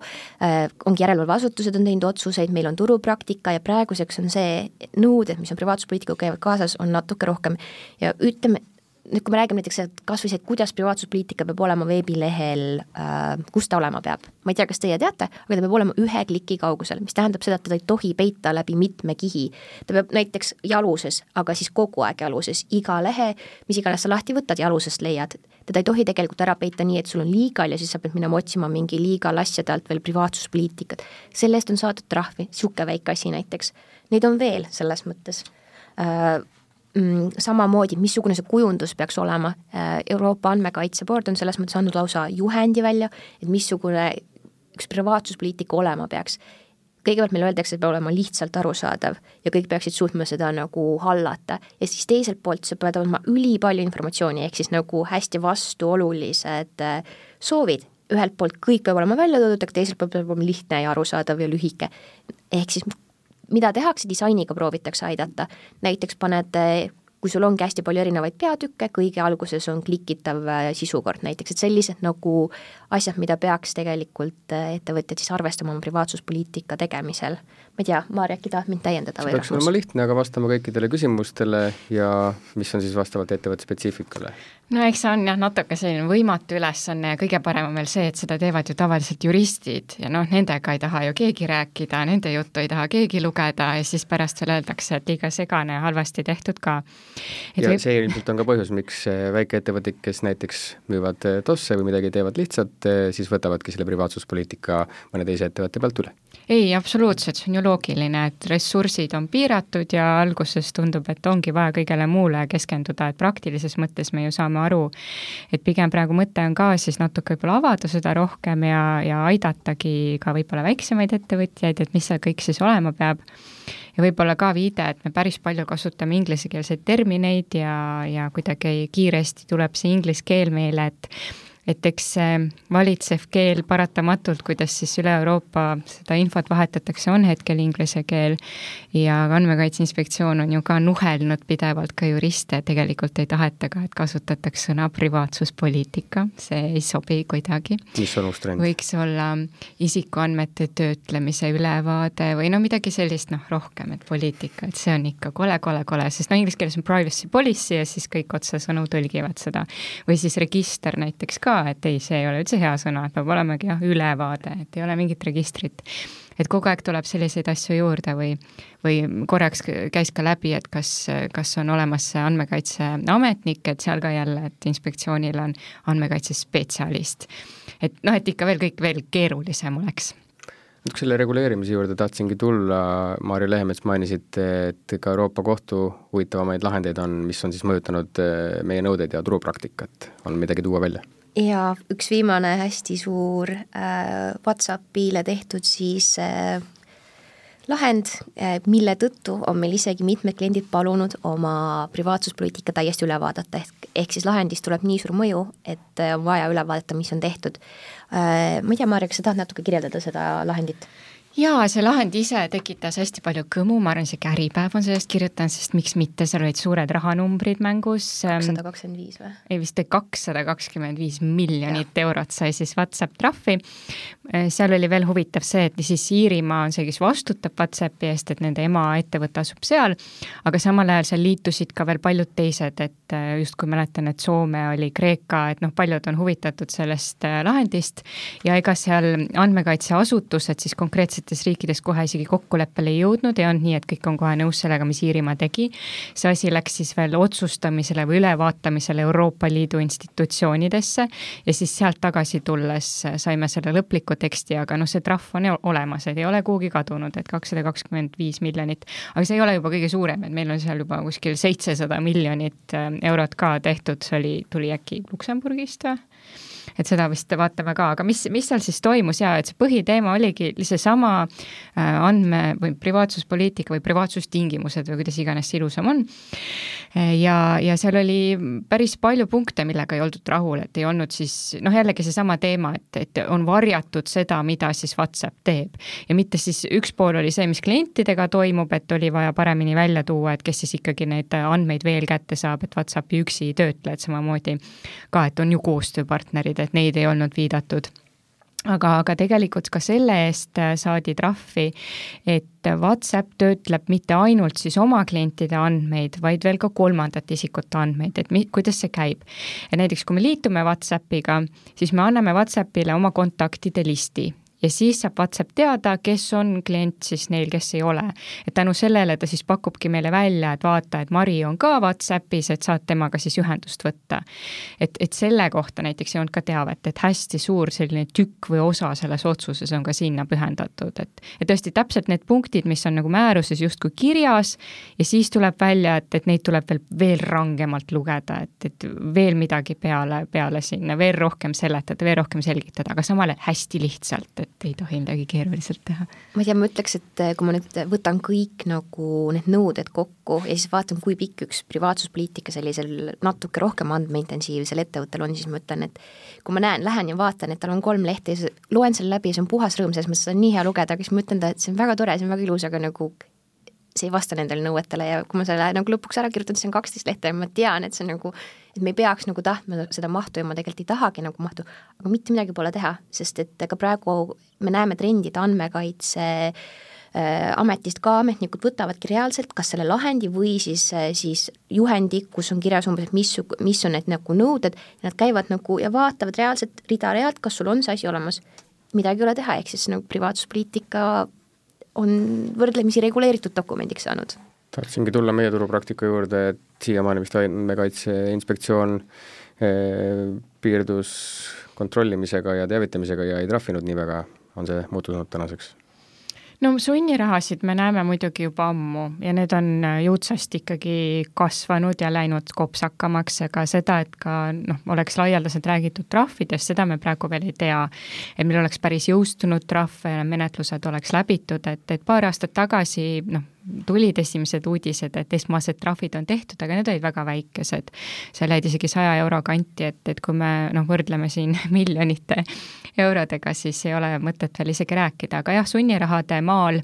äh, ongi järelevalveasutused on teinud otsuseid, meil on turupraktika ja praeguseks on see nõuded, mis on privaatsuspoliitikaga käivad kaasas, on natuke rohkem ja ütleme, nüüd kui me räägime näiteks, et kas või see, et kuidas privaatsuspoliitika peab olema veebilehel, äh, kus ta olema peab. Ma ei tea, kas teie teate, aga ta peab olema ühe kliki kaugusel, mis tähendab seda, et ta ei tohi peita läbi mitme kihi. Ta peab näiteks jaluses, aga siis kogu aeg jaluses, iga lehe, mis iganes sa lahti võtad, jalusest leiad. Teda ei tohi tegelikult ära peita nii, et sul on liigal ja siis sa pead minema otsima mingi liigal asjade alt veel privaatsuspoliitikat. Selle eest on saadud trahvi, siuke väike asi näiteks. Neid on veel selles mõttes. Äh, samamoodi, missugune see kujundus peaks olema. Euroopa andmekaitse board on selles mõttes andnud lausa juhendi välja, et missugune üks privaatsuspoliitika olema peaks. Kõigepealt meil öeldakse, et peab olema lihtsalt arusaadav ja kõik peaksid suutma seda nagu hallata ja siis teiselt poolt see peab olema üli palju informatsiooni, ehk siis nagu hästi vastuolulised soovid. Ühelt poolt kõik peab olema välja toodud, aga teiselt poolt peab olema lihtne ja arusaadav ja lühike. Ehk siis mida tehakse, disainiga proovitakse aidata. Näiteks paned, kui sul ongi hästi palju erinevaid peatükke, kõige alguses on klikitav sisukord näiteks, et sellised nagu asjad, mida peaks tegelikult ettevõtjad siis arvestama oma privaatsuspoliitika tegemisel. Ma ei tea, Maarja, äkki tahad mind täiendada? See peaks olema lihtne, aga vastama kõikidele küsimustele ja mis on siis vastavalt ettevõtte spetsiifikale? no eks see on jah natuke selline võimatu ülesanne ja kõige parem on veel see, et seda teevad ju tavaliselt juristid ja noh, nendega ei taha ju keegi rääkida, nende juttu ei taha keegi lugeda ja siis pärast veel öeldakse, et liiga segane ja halvasti tehtud ka. Et ja võib... see ilmselt on ka põhjus, miks väikeettevõtted, kes näiteks müüvad tosse või midagi teevad lihtsalt, siis võtavadki selle privaatsuspoliitika mõne teise ettevõtte pealt üle. Ei, absoluutselt, see on ju loogiline, et ressursid on piiratud ja alguses tundub, et ongi vaja kõigele muule keskenduda, et praktilises mõttes me ju saame aru, et pigem praegu mõte on ka siis natuke võib-olla avada seda rohkem ja, ja aidatagi ka võib-olla väiksemaid ettevõtjaid, et mis seal kõik siis olema peab. Ja võib-olla ka viide, et me päris palju kasutame ingliskeelseid termineid ja, ja kuidagi kiiresti tuleb see inglise keel meile, et et eks valitsev keel paratamatult, kuidas siis üle Euroopa seda infot vahetatakse, on hetkel inglise keel ja Andmekaitse Inspektsioon on ju ka nuhelnud pidevalt ka juriste, tegelikult ei taheta ka, et kasutatakse sõna privaatsuspoliitika, see ei sobi kuidagi. Mis on uus trend? Võiks olla isikuandmete töötlemise ülevaade või no midagi sellist, noh rohkem, et poliitika, et see on ikka kole, kole, kole, sest no inglise keeles on privacy policy ja siis kõik otsesõnu tõlgivad seda. Või siis register näiteks ka, et ei, see ei ole üldse hea sõna, et peab olemagi jah, ülevaade, et ei ole mingit registrit. Et kogu aeg tuleb selliseid asju juurde või, või korraks käis ka läbi, et kas, kas on olemas andmekaitseametnik, et seal ka jälle, et inspektsioonil on andmekaitsespetsialist. Et noh, et ikka veel kõik veel keerulisem oleks. Selle reguleerimise juurde tahtsingi tulla, Marju Lehemets mainisid, et ka Euroopa Kohtu huvitavamaid lahendeid on, mis on siis mõjutanud meie nõudeid ja turupraktikat. On midagi tuua välja? Ja üks viimane hästi suur äh, WhatsAppile tehtud siis äh, lahend, äh, mille tõttu on meil isegi mitmed kliendid palunud oma privaatsuspoliitika täiesti üle vaadata, ehk, ehk siis lahendist tuleb nii suur mõju, et on vaja üle vaadata, mis on tehtud. Äh, ma ei tea, Marja, kas sa tahad natuke kirjeldada seda lahendit? Jaa, see lahend ise tekitas hästi palju kõmu, ma arvan, see Äripäev on sellest kirjutanud, sest miks mitte, seal olid suured rahanumbrid mängus. kakssada kakskümmend viis või? Ei, vist kakssada kakskümmend viis miljonit ja. eurot sai siis WhatsApp trahvi. Seal oli veel huvitav see, et siis Iirimaa on see, kes vastutab WhatsAppi eest, et nende ema ettevõte asub seal, aga samal ajal seal liitusid ka veel paljud teised, et just kui mäletan, et Soome oli Kreeka, et noh, paljud on huvitatud sellest lahendist ja ega seal andmekaitseasutused siis konkreetselt riikides kohe isegi kokkuleppele ei jõudnud ja on nii, et kõik on kohe nõus sellega, mis Iirimaa tegi. See asi läks siis veel otsustamisele või ülevaatamisele Euroopa Liidu institutsioonidesse ja siis sealt tagasi tulles saime selle lõpliku teksti, aga noh, see trahv on olemas, et ei ole kuhugi kadunud, et kakssada kakskümmend viis miljonit, aga see ei ole juba kõige suurem, et meil on seal juba kuskil seitsesada miljonit eurot ka tehtud, see oli, tuli äkki Luksemburgist või? Et seda vist vaatame ka, aga mis, mis seal siis toimus ja et see põhiteema oligi see sama andme või privaatsuspoliitika või privaatsustingimused või kuidas iganes see ilusam on. Ja, ja seal oli päris palju punkte, millega ei oldud rahul, et ei olnud siis, noh jällegi see sama teema, et, et on varjatud seda, mida siis WhatsApp teeb. Ja mitte siis üks pool oli see, mis klientidega toimub, et oli vaja paremini välja tuua, et kes siis ikkagi neid andmeid veel kätte saab, et WhatsAppi üksi ei töötle, et samamoodi ka, et on ju koostööpartnerid, et neid ei olnud viidatud. Aga, aga tegelikult ka selle eest saadi trahvi, et WhatsApp töötleb mitte ainult siis oma klientide andmeid, vaid veel ka kolmandat isikute andmeid, et mi, kuidas see käib. Ja näiteks kui me liitume WhatsAppiga, siis me anname WhatsAppile oma kontaktide listi. Ja siis saab WhatsApp teada, kes on klient siis neil, kes ei ole. Et tänu sellele ta siis pakubki meile välja, et vaata, et Mari on ka WhatsAppis, et saad temaga siis ühendust võtta. Et, et selle kohta näiteks ei olnud ka teavet, et hästi suur selline tükk või osa selles otsuses on ka sinna pühendatud. Et, et tõesti täpselt need punktid, mis on nagu määruses justkui kirjas ja siis tuleb välja, et, et neid tuleb veel, veel rangemalt lugeda, et, et veel midagi peale, peale sinna, veel rohkem seletada, veel rohkem selgitada, aga samale hästi lihtsalt, et ei tohi midagi keeruliselt teha. Ma ei tea, ma ütleks, et kui ma nüüd võtan kõik nagu need nõuded kokku ja siis vaatan, kui pikk üks privaatsuspoliitika sellisel natuke rohkem andmeintensiivsel ettevõttel on, siis ma ütlen, et kui ma näen, lähen ja vaatan, et tal on kolm lehte ja loen selle läbi ja see on puhas rõõm, selles mõttes on nii hea lugeda, aga siis ma ütlen, et see on väga tore, see on väga ilus, aga nagu see ei vasta nendele nõuetele ja kui ma selle nagu lõpuks ära kirjutan, siis on kaksteist lehte ja ma tean, et see on nagu, et me ei peaks nagu tahtma seda mahtu ja ma tegelikult ei tahagi nagu mahtu, aga mitte midagi pole teha, sest et ka praegu me näeme trendid andmekaitse ametist ka ametnikud võtavadki reaalselt kas selle lahendi või siis, siis juhendi, kus on kirjas umbes, et mis, mis on need nagu nõuded, ja nad käivad nagu ja vaatavad reaalselt rida-realt, kas sul on see asi olemas. Midagi ei ole teha, ehk siis nagu privaatsuspoliitika on võrdlemisi reguleeritud dokumendiks saanud. Tahtsingi tulla meie turupraktika juurde, et siiamaani vist andmekaitse inspektsioon eh, piirdus kontrollimisega ja teavitamisega ja ei trahvinud nii väga, on see muutunud tänaseks? No sunnirahasid me näeme muidugi juba ammu ja need on jõudsasti ikkagi kasvanud ja läinud kopsakamaks, aga seda, et ka noh, oleks laialdaselt räägitud trahvidest, seda me praegu veel ei tea. Et meil oleks päris jõustunud trahv ja menetlused oleks läbitud, et, et paar aastat tagasi noh, tulid esimesed uudised, et esmased trahvid on tehtud, aga need olid väga väikesed. See läid isegi saja euro kanti, et, et kui me noh, võrdleme siin miljonite eurodega, siis ei ole mõtet veel isegi rääkida. Aga jah, sunnirahade maal,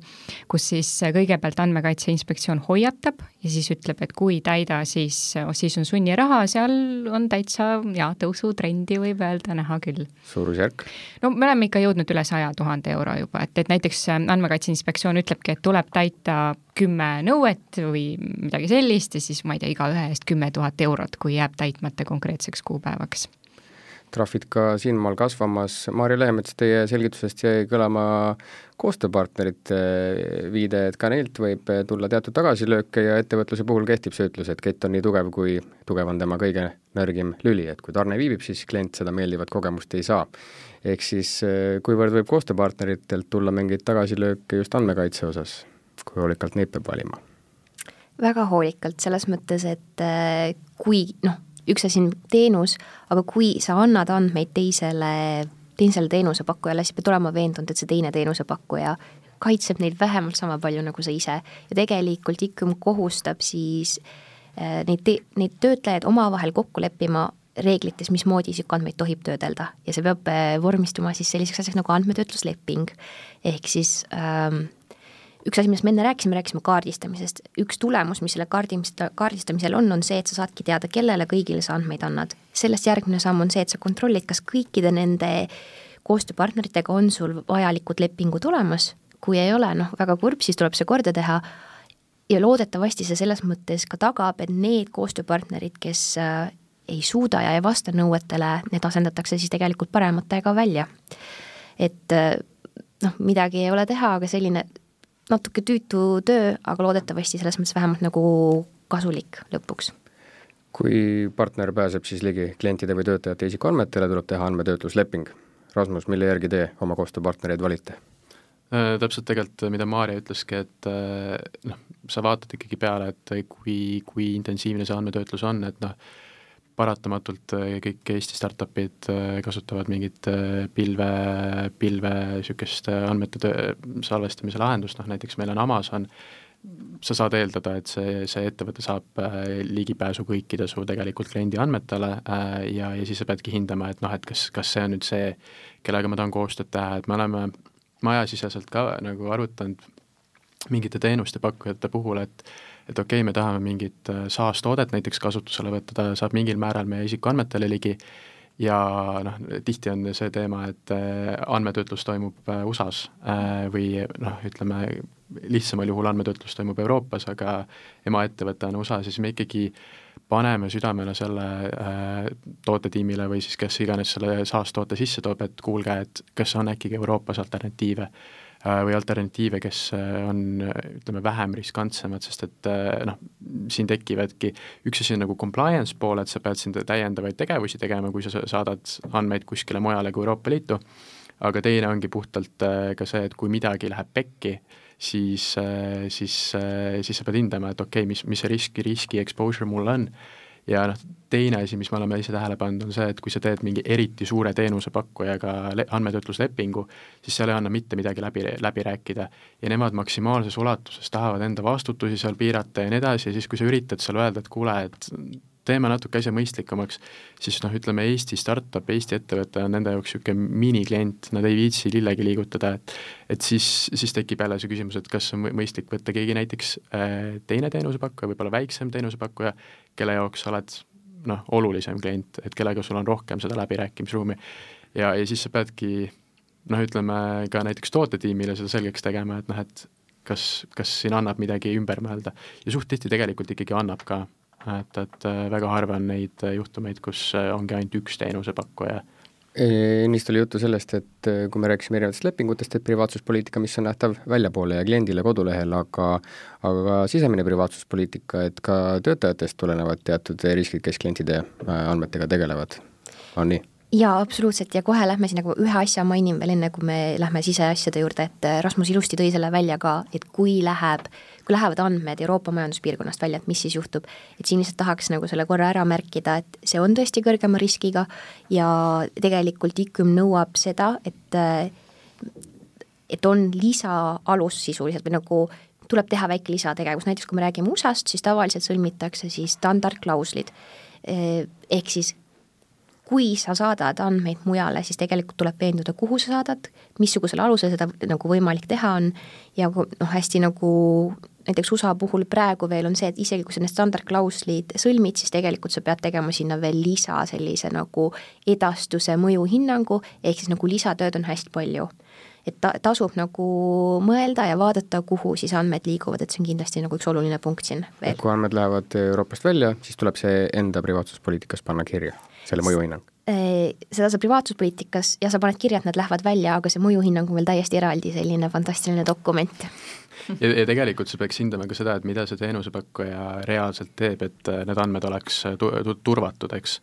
kus siis kõigepealt andmekaitse inspektsioon hoiatab ja siis ütleb, et kui täida, siis, siis on sunniraha, seal on täitsa ja, tõusutrendi võib öelda näha küll. Suurusjärk? No me oleme ikka jõudnud üle saja tuhande euro juba, et, et näiteks andmekaitse inspektsioon ütlebki, et tuleb täita kümme nõuet või midagi sellist ja siis ma ei tea, iga ühe eest kümme tuhat eurot, kui jääb täitmata konkreetseks kuupäevaks. Trahvid ka siinmaal kasvamas. Maarja Lehemets, teie selgitusest jäi kõlama koostööpartnerite viide, et ka neilt võib tulla teatud tagasilööke ja ettevõtluse puhul kehtib see ütlus, et kett on nii tugev, kui tugev on tema kõige nõrgim lüli, et kui tarne viibib, siis klient seda meeldivat kogemust ei saa. Ehk siis kuivõrd võib koostööpartneritelt tulla mingeid tagasilööke just andmekaitse osas, kui hoolikalt neid peab valima? Väga hoolikalt, selles mõttes, et kui noh, üks asi on teenus, aga kui sa annad andmeid teisele, teisele teenusepakkujale, siis pead olema veendunud, et see teine teenusepakkuja kaitseb neid vähemalt sama palju nagu sa ise. Ja tegelikult ikka kohustab siis neid, te, neid töötlejaid omavahel kokku leppima reeglites, mismoodi isikuandmeid tohib töödelda. Ja see peab vormistuma siis selliseks asjaks nagu andmetöötlusleping. Ehk siis ähm, üks asi, millest me enne rääkisime, rääkisime kaardistamisest. Üks tulemus, mis selle kaardistamisel on, on see, et sa saadki teada, kellele kõigile sa andmeid annad. Sellest järgmine samm on see, et sa kontrollid, kas kõikide nende koostööpartneritega on sul vajalikud lepingud olemas. Kui ei ole, noh, väga kurb, siis tuleb see korda teha. Ja loodetavasti see selles mõttes ka tagab, et need koostööpartnerid, kes ei suuda ja ei vasta nõuetele, need asendatakse siis tegelikult parematega välja. Et noh, midagi ei ole teha, aga selline natuke tüütu töö, aga loodetavasti selles mõttes vähemalt nagu kasulik lõpuks. Kui partner pääseb siis ligi klientide või töötajate isikuandmetele, tuleb teha andmetöötlusleping. Rasmus, mille järgi te oma koostööpartnereid valite? Täpselt tegelikult, mida Maarja ütleski, et noh, sa vaatad ikkagi peale, et kui, kui intensiivne see andmetöötlus on, et noh, paratamatult kõik Eesti startupid kasutavad mingit pilve, pilve sükest andmete töö, salvestamise lahendust, noh näiteks meil on Amazon, sa saad eeldada, et see, see ettevõte saab ligipääsu kõikide su tegelikult kliendi andmetele ja, ja siis sa peadki hindama, et noh, et kas, kas see on nüüd see, kellega ma tahan koostööd teha, et me oleme majasiseselt ka nagu arutanud mingite teenuste pakkujate puhul, et et okei, okay, me tahame mingit SaaS-toodet näiteks kasutusele võtta, ta saab mingil määral meie isikuandmetele ligi ja noh, tihti on see teema, et andmetöötlus toimub U S A-s või noh, ütleme, lihtsamal juhul andmetöötlus toimub Euroopas, aga emaettevõte on U S A-s, siis me ikkagi paneme südamele selle tootetiimile või siis kes iganes selle SaaS-toote sisse toob, et kuulge, et kas on äkki Euroopas alternatiive või alternatiive, kes on, ütleme, vähem riskantsemad, sest et noh, siin tekivadki, üks asi on nagu compliance pool, et sa pead siin täiendavaid tegevusi tegema, kui sa saadad andmeid kuskile mujale kui Euroopa Liitu, aga teine ongi puhtalt ka see, et kui midagi läheb pekki, siis, siis, siis sa pead hindama, et okei, okay, mis, mis see riski, riski exposure mul on. Ja noh, teine asi, mis me oleme ise tähele pannud, on see, et kui sa teed mingi eriti suure teenusepakkujaga andmetöötluslepingu, siis seal ei anna mitte midagi läbi, läbi rääkida ja nemad maksimaalses ulatuses tahavad enda vastutusi seal piirata ja nii edasi ja siis, kui sa üritad seal öelda, et kuule, et teeme natuke asja mõistlikumaks, siis noh, ütleme Eesti startup, Eesti ettevõte on nende jaoks niisugune miniklient, nad ei viitsi lillegi liigutada, et, et siis, siis tekib jälle see küsimus, et kas on mõistlik võtta keegi näiteks teine teenusepakkuja, võib-olla väiksem teenusepakkuja, kelle jaoks sa oled noh, olulisem klient, et kellega sul on rohkem seda läbirääkimisruumi ja, ja siis sa peadki noh, ütleme ka näiteks tootetiimile seda selgeks tegema, et noh, et kas, kas siin annab midagi ümber mõelda. Ja suht tihti tegelikult ikkagi annab ka, et, et väga harva on neid juhtumeid, kus ongi ainult üks teenusepakkuja. Ennist oli juttu sellest, et kui me rääkisime erinevatest lepingutest, et privaatsuspoliitika, mis on nähtav väljapoole ja kliendile kodulehel, aga aga sisemine privaatsuspoliitika, et ka töötajatest tulenevad teatud riskid, kes klientide andmetega tegelevad, on nii? Jaa, absoluutselt ja kohe lähme siin nagu ühe asja mainin veel enne, kui me lähme siseasjade juurde, et Rasmus ilusti tõi selle välja ka, et kui läheb, kui lähevad andmed Euroopa majanduspiirkonnast välja, et mis siis juhtub, et siin lihtsalt tahaks nagu selle korra ära märkida, et see on tõesti kõrgema riskiga ja tegelikult I K M nõuab seda, et, et on lisaalus sisuliselt või nagu tuleb teha väike lisategevus, näiteks kui me räägime U S A-st, siis tavaliselt sõlmitakse siis standardklauslid, ehk siis kui sa saadad andmeid mujale, siis tegelikult tuleb veenduda, kuhu sa saadad, missugusel alusel seda nagu võimalik teha on ja noh, hästi nagu näiteks U S A puhul praegu veel on see, et isegi kui sa need standardklauslid sõlmid, siis tegelikult sa pead tegema sinna veel lisa sellise nagu edastuse mõjuhinnangu, ehk siis nagu lisatööd on hästi palju. Et ta, tasub nagu mõelda ja vaadata, kuhu siis andmed liiguvad, et see on kindlasti nagu üks oluline punkt siin veel. Kui andmed lähevad Euroopast välja, siis tuleb see enda privaatsuspoliitikas panna kirja, selle mõjuhinnang? Seda sa privaatsuspoliitikas ja sa paned kirja, et nad lähevad välja, aga see mõjuhinnang on veel täiesti eraldi selline fantastiline dokument. Ja, ja tegelikult sa peaks hindama ka seda, et mida see teenusepakkuja reaalselt teeb, et need andmed oleks turvatud, eks.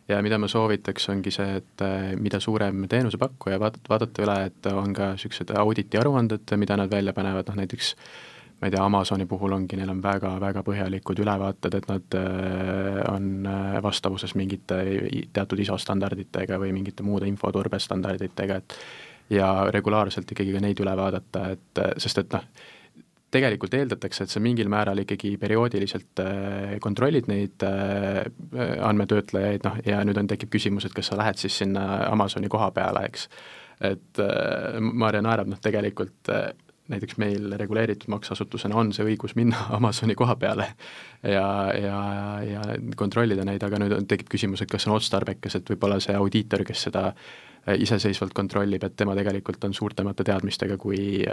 Ja mida ma soovitaks ongi see, et mida suurem teenusepakkuja vaadata, vaadata üle, et on ka sellised auditi aruanded, mida nad välja panevad, noh näiteks ma ei tea, Amazoni puhul ongi, neil on väga-väga põhjalikud ülevaated, et nad on vastavuses mingite teatud I S O standarditega või mingite muude infoturbestandarditega, et ja regulaarselt ikkagi ka neid üle vaadata, et sest et noh, tegelikult eeldatakse, et sa mingil määral ikkagi perioodiliselt kontrollid neid andmetöötlejaid, noh, ja nüüd on tekib küsimus, et kas sa lähed siis sinna Amazoni koha peale, eks. Et Maarja naerab, noh, tegelikult näiteks meil reguleeritud maksuasutusena on see õigus minna Amazoni koha peale ja, ja, ja kontrollida neid, aga nüüd on, tekib küsimus, et kas on otstarbekas, et võib-olla see audiitor, kes seda iseseisvalt kontrollib, et tema tegelikult on suurtemate teadmistega kui,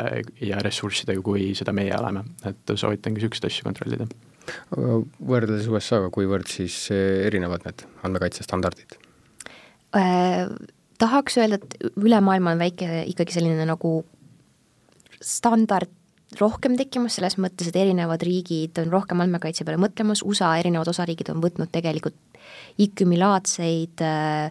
ja ressurssidega, kui seda meie oleme, et soovitangi sükst asju kontrollida. Võrdeldes U S A-ga, kuivõrd siis erinevad need andmekaitsestandardid? Äh, tahaks öelda, et üle maailma on väike ikkagi selline nagu standard rohkem tekkimas, selles mõttes, et erinevad riigid on rohkem andmekaitse peale mõtlemas, U S A erinevad osariigid on võtnud tegelikult I K M-i-laadseid äh,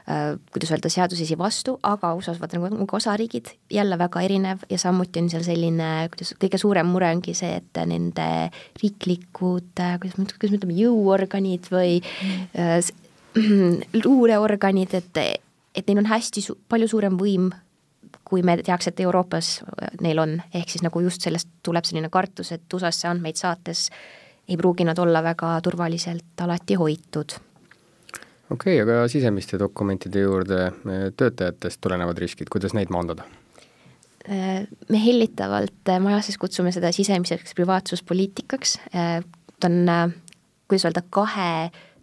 äh, kuidas öelda, seadusesi vastu, aga U S A-s vaata nagu osariigid jälle väga erinev ja samuti on seal selline, kuidas kõige suurem mure ongi see, et nende riiklikud, kuidas me ütleme, jõuorganid või äh, luureorganid, et, et neil on hästi su- palju suurem võim kui me teaks, et Euroopas neil on, ehk siis nagu just sellest tuleb selline kartus, et U S A-sse andmeid saates ei pruugi nad olla väga turvaliselt alati hoitud. Okei, okay, aga sisemiste dokumentide juurde töötajatest tulenevad riskid, kuidas neid maandada? Me hellitavalt majases kutsume seda sisemiseks privaatsuspoliitikaks. Ta on, kuidas öelda, kahe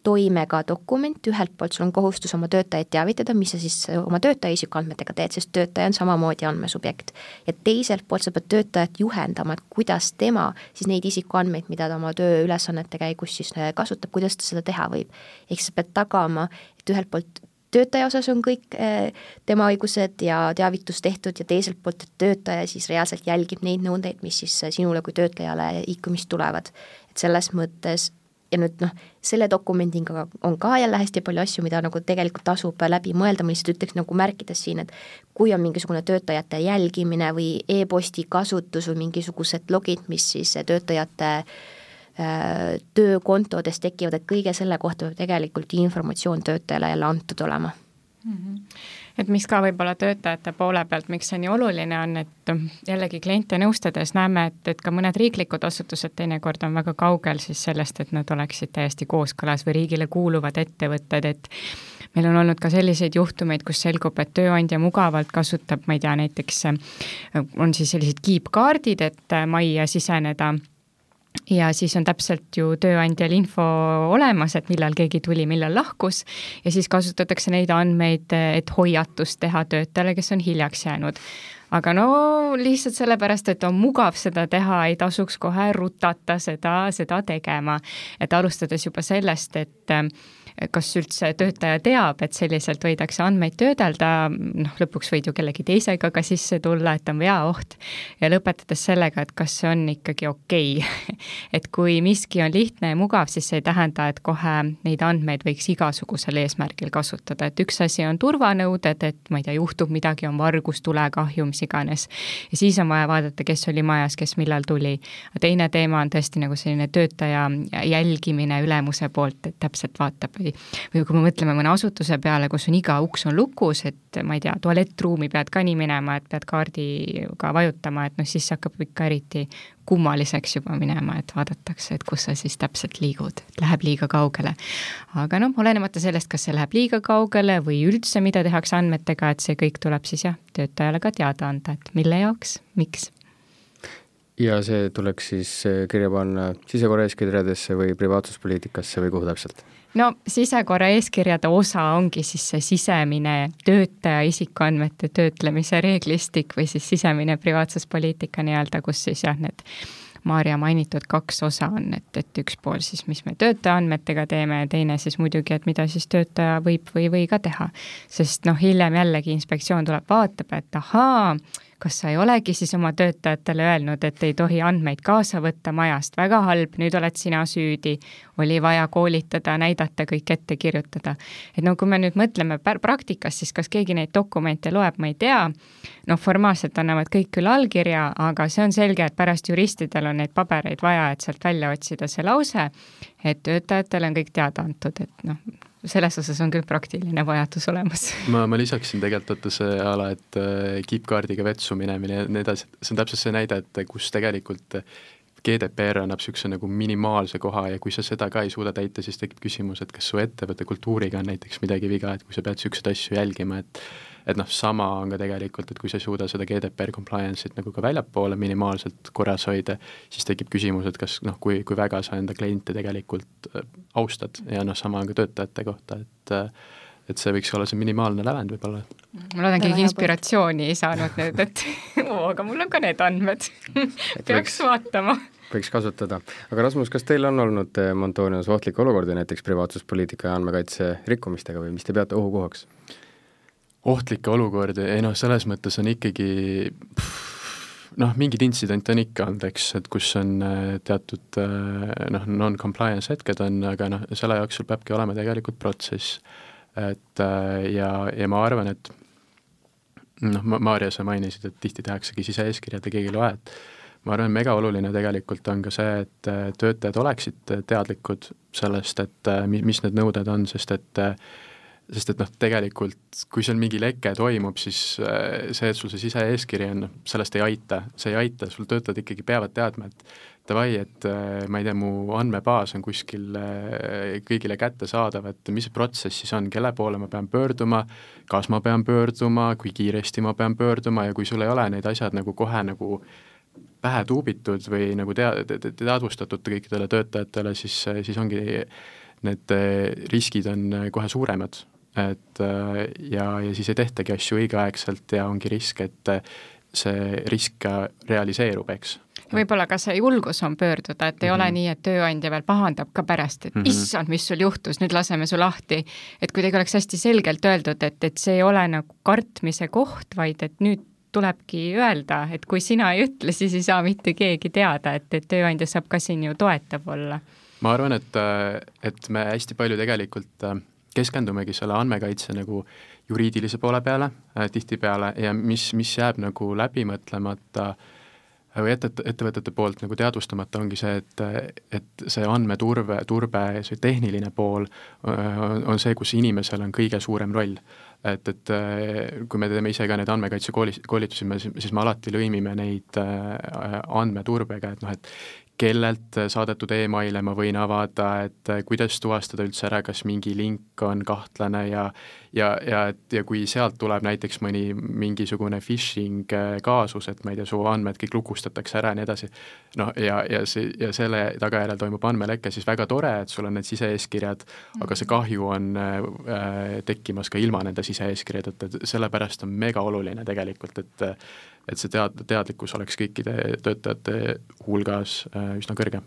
toimega dokument, ühelt poolt sul on kohustus oma töötajaid teavitada, mis sa siis oma töötaja isikuandmetega teed, sest töötaja on samamoodi andmesubjekt. Ja teiselt poolt sa pead töötajat juhendama, et kuidas tema siis neid isikuandmeid, mida ta oma tööülesannete käigus siis kasutab, kuidas ta seda teha võib. Ehk sa pead tagama, et ühelt poolt töötaja osas on kõik tema õigused ja teavitus tehtud ja teiselt poolt, et töötaja siis reaalselt jälgib neid nõudeid, mis siis sinule kui töötlejale I K M-ist tulevad. Et selles mõttes ja nüüd noh, selle dokumendiga on ka jälle hästi palju asju, mida nagu tegelikult tasub läbi mõelda, ma lihtsalt ütleks nagu märkides siin, et kui on mingisugune töötajate jälgimine või e-posti kasutus või mingisugused logid, mis siis töötajate äh, töökontodes tekivad, et kõige selle kohta peab tegelikult informatsioon töötajale jälle antud olema. Mm-hmm. Et mis ka võib-olla töötajate poole pealt, miks see nii oluline on, et jällegi kliente nõustades näeme, et, et ka mõned riiklikud asutused teinekord on väga kaugel siis sellest, et nad oleksid täiesti kooskõlas või riigile kuuluvad ettevõtted, et meil on olnud ka selliseid juhtumeid, kus selgub, et tööandja mugavalt kasutab, ma ei tea, näiteks on siis sellised kiipkaardid, et majja siseneda ja siis on täpselt ju tööandjal info olemas, et millal keegi tuli, millal lahkus ja siis kasutatakse neid andmeid, et hoiatust teha töötajale, kes on hiljaks jäänud. Aga no lihtsalt sellepärast, et on mugav seda teha, ei tasuks kohe rutata seda, seda tegema. Et alustades juba sellest, et kas üldse töötaja teab, et selliselt võidakse andmeid töödelda, noh lõpuks võid ju kellegi teisega ka sisse tulla, et on veaoht ja lõpetades sellega, et kas see on ikkagi okei. Et kui miski on lihtne ja mugav, siis see ei tähenda, et kohe neid andmeid võiks igasugusel eesmärgil kasutada, et üks asi on turvanõuded, et ma ei tea, juhtub midagi, on vargus, tulekahju, mis iganes. Ja siis on vaja vaadata, kes oli majas, kes millal tuli. Teine teema on tõesti nagu selline töötaja jälgimine ülemuse poolt, et täpselt vaatab või, või kui me mõtleme mõne asutuse peale, kus on iga uks on lukus, et ma ei tea, tualettruumi pead ka nii minema, et pead kaardiga vajutama, et noh, siis hakkab ikka eriti kummaliseks juba minema, et vaadatakse, et kus sa siis täpselt liigud, läheb liiga kaugele. Aga noh, olenemata sellest, kas see läheb liiga kaugele või üldse, mida tehakse andmetega, et see kõik tuleb siis jah, töötajale ka teada anda, et mille jaoks, miks. Ja see tuleks siis kirja panna sisekorra eeskirjadesse või privaatsuspoliitikasse või kuhu täpselt? No sisekorra eeskirjade osa ongi siis see sisemine töötaja isikuandmete töötlemise reeglistik või siis sisemine privaatsuspoliitika nii-öelda, kus siis jah, need Maarja mainitud kaks osa on, et, et üks pool siis, mis me töötaja andmetega teeme ja teine siis muidugi, et mida siis töötaja võib või või ka teha. Sest noh, hiljem jällegi inspektsioon tuleb vaatab, et ahaa, kas sa ei olegi siis oma töötajatele öelnud, et ei tohi andmeid kaasa võtta majast, väga halb, nüüd oled sina süüdi, oli vaja koolitada, näidata, kõik ette kirjutada. Et no kui me nüüd mõtleme praktikas, siis kas keegi neid dokumente loeb, ma ei tea, noh formaalselt annavad kõik küll allkirja, aga see on selge, et pärast juristidel on neid pabereid vaja, et sealt välja otsida see lause, et töötajatele on kõik teada antud, et noh, selles osas on küll praktiline vajadus olemas. Ma, ma lisaksin tegelikult võtta see ala, et kiipkaardiga vetsu minemine ja nii edasi, see on täpselt see näide, et kus tegelikult G D P R annab niisuguse nagu minimaalse koha ja kui sa seda ka ei suuda täita, siis tekib küsimus, et kas su ettevõtte kultuuriga on näiteks midagi viga, et kui sa pead niisuguseid asju jälgima, et et noh, sama on ka tegelikult, et kui sa ei suuda seda G D P R compliance'it nagu ka väljapoole minimaalselt korras hoida, siis tekib küsimus, et kas noh, kui, kui väga sa enda kliente tegelikult austad ja noh, sama on ka töötajate kohta, et et see võiks olla see minimaalne lävend võib-olla. Ma loodan, keegi inspiratsiooni ei saanud nüüd, et oo, aga mul on ka need andmed. Peaks võiks, vaatama. Võiks kasutada. Aga Rasmus, kas teil on olnud Montonios ohtlik olukordi näiteks privaatsuspoliitika ja andmekaitse rikkumistega või mis te peate ohukohaks? Ohtlikke olukordi, ei noh, selles mõttes on ikkagi noh, mingid intsident on ikka olnud, eks, et kus on teatud noh, non-compliance hetked on, aga noh, selle jooksul peabki olema tegelikult protsess. Et ja, ja ma arvan, et noh, Maarja, sa mainisid, et tihti tehaksegi sise-eeskirjad ja keegi loe, et ma arvan, mega oluline tegelikult on ka see, et töötajad oleksid teadlikud sellest, et mis need nõuded on, sest et sest et noh, tegelikult kui seal mingi leke toimub, siis see, et sul see sise-eeskiri on, sellest ei aita, see ei aita, sul töötajad ikkagi peavad teadma, et davai, et ma ei tea, mu andmebaas on kuskil kõigile kätte saadav, et mis see protsess siis on, kelle poole ma pean pöörduma, kas ma pean pöörduma, kui kiiresti ma pean pöörduma ja kui sul ei ole neid asjad nagu kohe nagu pähe tuubitud või nagu tea-, teadvustatud kõikidele töötajatele, siis, siis ongi need riskid on kohe suuremad. Et ja, ja siis ei tehtagi asju õigeaegselt ja ongi risk, et see risk realiseerub, eks. Võib-olla ka see julgus on pöörduda, et ei mm -hmm. ole nii, et tööandja veel pahandab ka pärast, et mm -hmm. issand, mis sul juhtus, nüüd laseme su lahti. Et kuidagi oleks hästi selgelt öeldud, et, et see ei ole nagu kartmise koht, vaid et nüüd tulebki öelda, et kui sina ei ütle, siis ei saa mitte keegi teada, et, et tööandja saab ka siin ju toetav olla. Ma arvan, et, et me hästi palju tegelikult keskendumegi selle andmekaitse nagu juriidilise poole peale äh, tihtipeale ja mis, mis jääb nagu läbimõtlemata või ette, ettevõtete poolt nagu teadvustamata ongi see, et, et see andmeturve, turbe, see tehniline pool on, on see, kus inimesel on kõige suurem roll. Et, et kui me teeme ise ka neid andmekaitse koolitusi, siis me alati lõimime neid andmeturbega, et noh, et kellelt saadetud emaile ma võin avada, et kuidas tuvastada üldse ära, kas mingi link on kahtlane ja ja, ja, et, ja kui sealt tuleb näiteks mõni mingisugune phishing kaasus, et ma ei tea, su andmed kõik lukustatakse ära ja nii edasi, noh ja, ja, see, ja selle tagajärjel toimub andmeleke, siis väga tore, et sul on need sise-eeskirjad, aga see kahju on äh, tekkimas ka ilma nende sise-eeskirjad, et sellepärast on mega oluline tegelikult, et et see tead, teadlikkus oleks kõikide töötajate hulgas äh, üsna kõrge.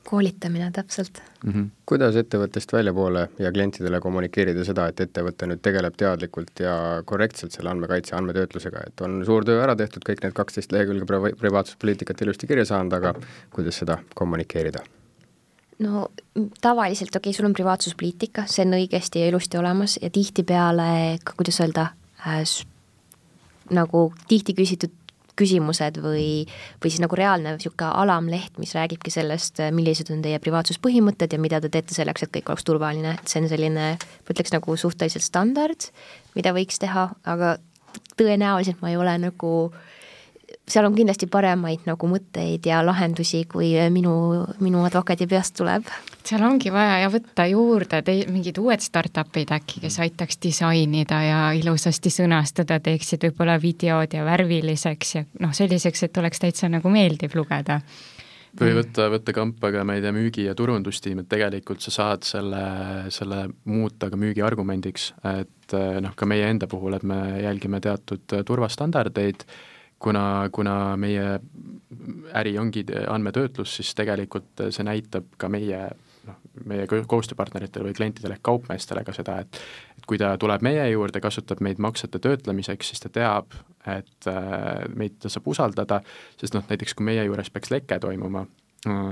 Koolitamine täpselt. Mm-hmm. Kuidas ettevõttest väljapoole ja klientidele kommunikeerida seda, et ettevõte nüüd tegeleb teadlikult ja korrektselt selle andmekaitse andmetöötlusega, et on suur töö ära tehtud, kõik need kaksteist lehekülge privaatsuspoliitikat ilusti kirja saanud, aga kuidas seda kommunikeerida? No tavaliselt, okei okay,, sul on privaatsuspoliitika, see on õigesti ja ilusti olemas ja tihtipeale, kuidas öelda, äh, nagu tihti küsitud küsimused või, või siis nagu reaalne siuke alamleht, mis räägibki sellest, millised on teie privaatsuspõhimõtted ja mida te teete selleks, et kõik oleks turvaline. Et see on selline, ma ütleks nagu suhteliselt standard, mida võiks teha, aga tõenäoliselt ma ei ole nagu, seal on kindlasti paremaid nagu mõtteid ja lahendusi, kui minu, minu advokaadi peast tuleb. Seal ongi vaja ja võtta juurde te, mingid uued startupid äkki, kes aitaks disainida ja ilusasti sõnastada, teeksid võib-olla videod ja värviliseks ja noh, selliseks, et oleks täitsa nagu meeldiv lugeda. Või võtta, võtta kampa ka, ma ei tea, müügi- ja turundustiim, et tegelikult sa saad selle, selle muuta ka müügi argumendiks, et noh, ka meie enda puhul, et me jälgime teatud turvastandardeid, kuna, kuna meie äri ongi andmetöötlus, siis tegelikult see näitab ka meie, noh, meie koostööpartneritele või klientidele ehk kaupmeestele ka seda, et, et kui ta tuleb meie juurde, kasutab meid maksete töötlemiseks, siis ta teab, et meid ta saab usaldada, sest noh, näiteks kui meie juures peaks leke toimuma,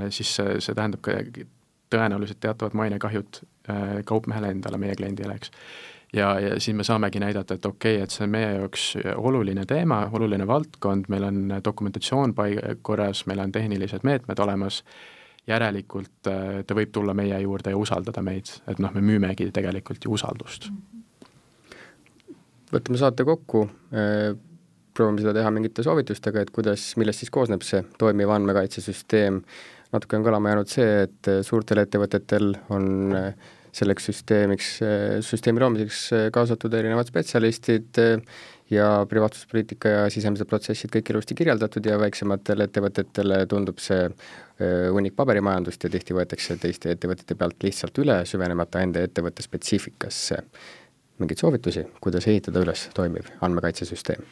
siis see, see tähendab ka tõenäoliselt teatavad mainekahjud kaupmehele endale, meie kliendile, eks. Ja, ja siin me saamegi näidata, et okei, okay, et see on meie jaoks oluline teema, oluline valdkond, meil on dokumentatsioon korras, meil on tehnilised meetmed olemas, järelikult ta võib tulla meie juurde ja usaldada meid, et noh, me müümegi tegelikult ju usaldust. Võtame saate kokku, proovime seda teha mingite soovitustega, et kuidas, millest siis koosneb see toimiv andmekaitsesüsteem. Natuke on kõlama jäänud see, et suurtel ettevõtetel on selleks süsteemiks, süsteemi loomiseks kaasatud erinevad spetsialistid ja privaatsuspoliitika ja sisemised protsessid kõik ilusti kirjeldatud ja väiksematele ettevõtetele tundub see hunnik paberimajandust ja tihti võetakse teiste ettevõtete pealt lihtsalt üle, süvenemata enda ettevõtte spetsiifikasse. Mingid soovitusi, kuidas ehitada üles toimiv andmekaitsesüsteem?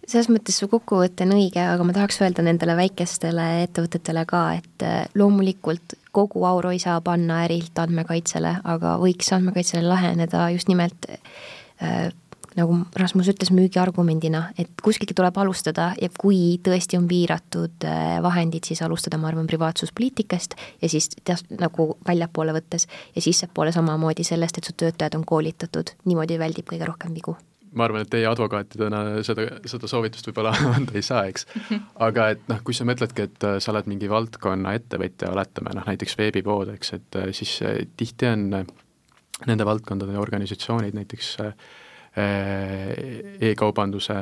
Selles mõttes su kokkuvõte on õige, aga ma tahaks öelda nendele väikestele ettevõtetele ka, et loomulikult kogu auru ei saa panna ärilt andmekaitsele, aga võiks andmekaitsele laheneda just nimelt äh, nagu Rasmus ütles müügiargumendina, et kuskilgi tuleb alustada ja kui tõesti on piiratud äh, vahendid, siis alustada, ma arvan, privaatsuspoliitikast ja siis teas, nagu väljapoole võttes ja sissepoole samamoodi sellest, et su töötajad on koolitatud, niimoodi väldib kõige rohkem vigu. Ma arvan, et teie advokaatidena seda, seda soovitust võib-olla anda ei saa, eks. Aga et noh, kui sa mõtledki, et sa oled mingi valdkonna ettevõtja, oletame, noh, näiteks veebipood, eks, et siis tihti on nende valdkondade organisatsioonid, näiteks e-kaubanduse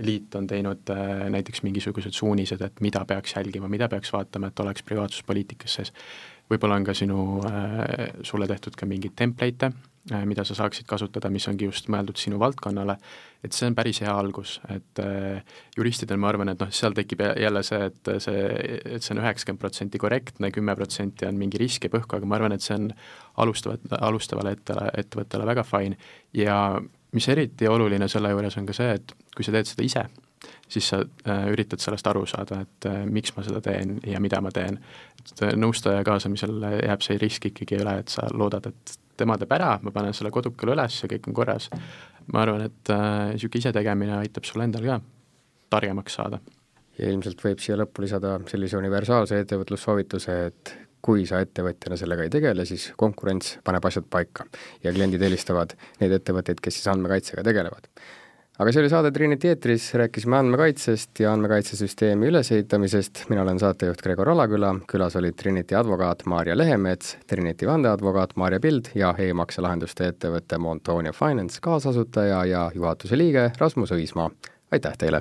liit on teinud näiteks mingisugused suunised, et mida peaks jälgima, mida peaks vaatama, et oleks privaatsuspoliitikas sees. Võib-olla on ka sinu, sulle tehtud ka mingid template'e, mida sa saaksid kasutada, mis ongi just mõeldud sinu valdkonnale, et see on päris hea algus, et juristidel ma arvan, et noh, seal tekib jälle see, et see, et see on üheksakümmend protsenti korrektne, kümme protsenti on mingi risk ja põhku, aga ma arvan, et see on alustavat, alustavale ettele, ettevõttele väga fine ja mis eriti oluline selle juures on ka see, et kui sa teed seda ise, siis sa äh, üritad sellest aru saada, et äh, miks ma seda teen ja mida ma teen. Et nõustaja kaasamisel jääb see risk ikkagi üle, et sa loodad, et tema teeb ära, ma panen selle kodukale üles ja kõik on korras. Ma arvan, et äh, siuke ise tegemine aitab sul endal ka targemaks saada. Ja ilmselt võib siia lõppu lisada sellise universaalse ettevõtlussoovituse, et kui sa ettevõtjana sellega ei tegele, siis konkurents paneb asjad paika ja kliendid eelistavad neid ettevõtteid, kes siis andmekaitsega tegelevad. Aga see oli saade Trinity eetris, rääkisime andmekaitsest ja andmekaitsesüsteemi ülesehitamisest. Mina olen saatejuht Gregor Alaküla, külas olid Trinity advokaat Maarja Lehemets, Trinity vandeadvokaat Maarja Pild ja e-makselahenduste ettevõtte Montonia Finance kaasasutaja ja juhatuse liige Rasmus Õismaa. Aitäh teile!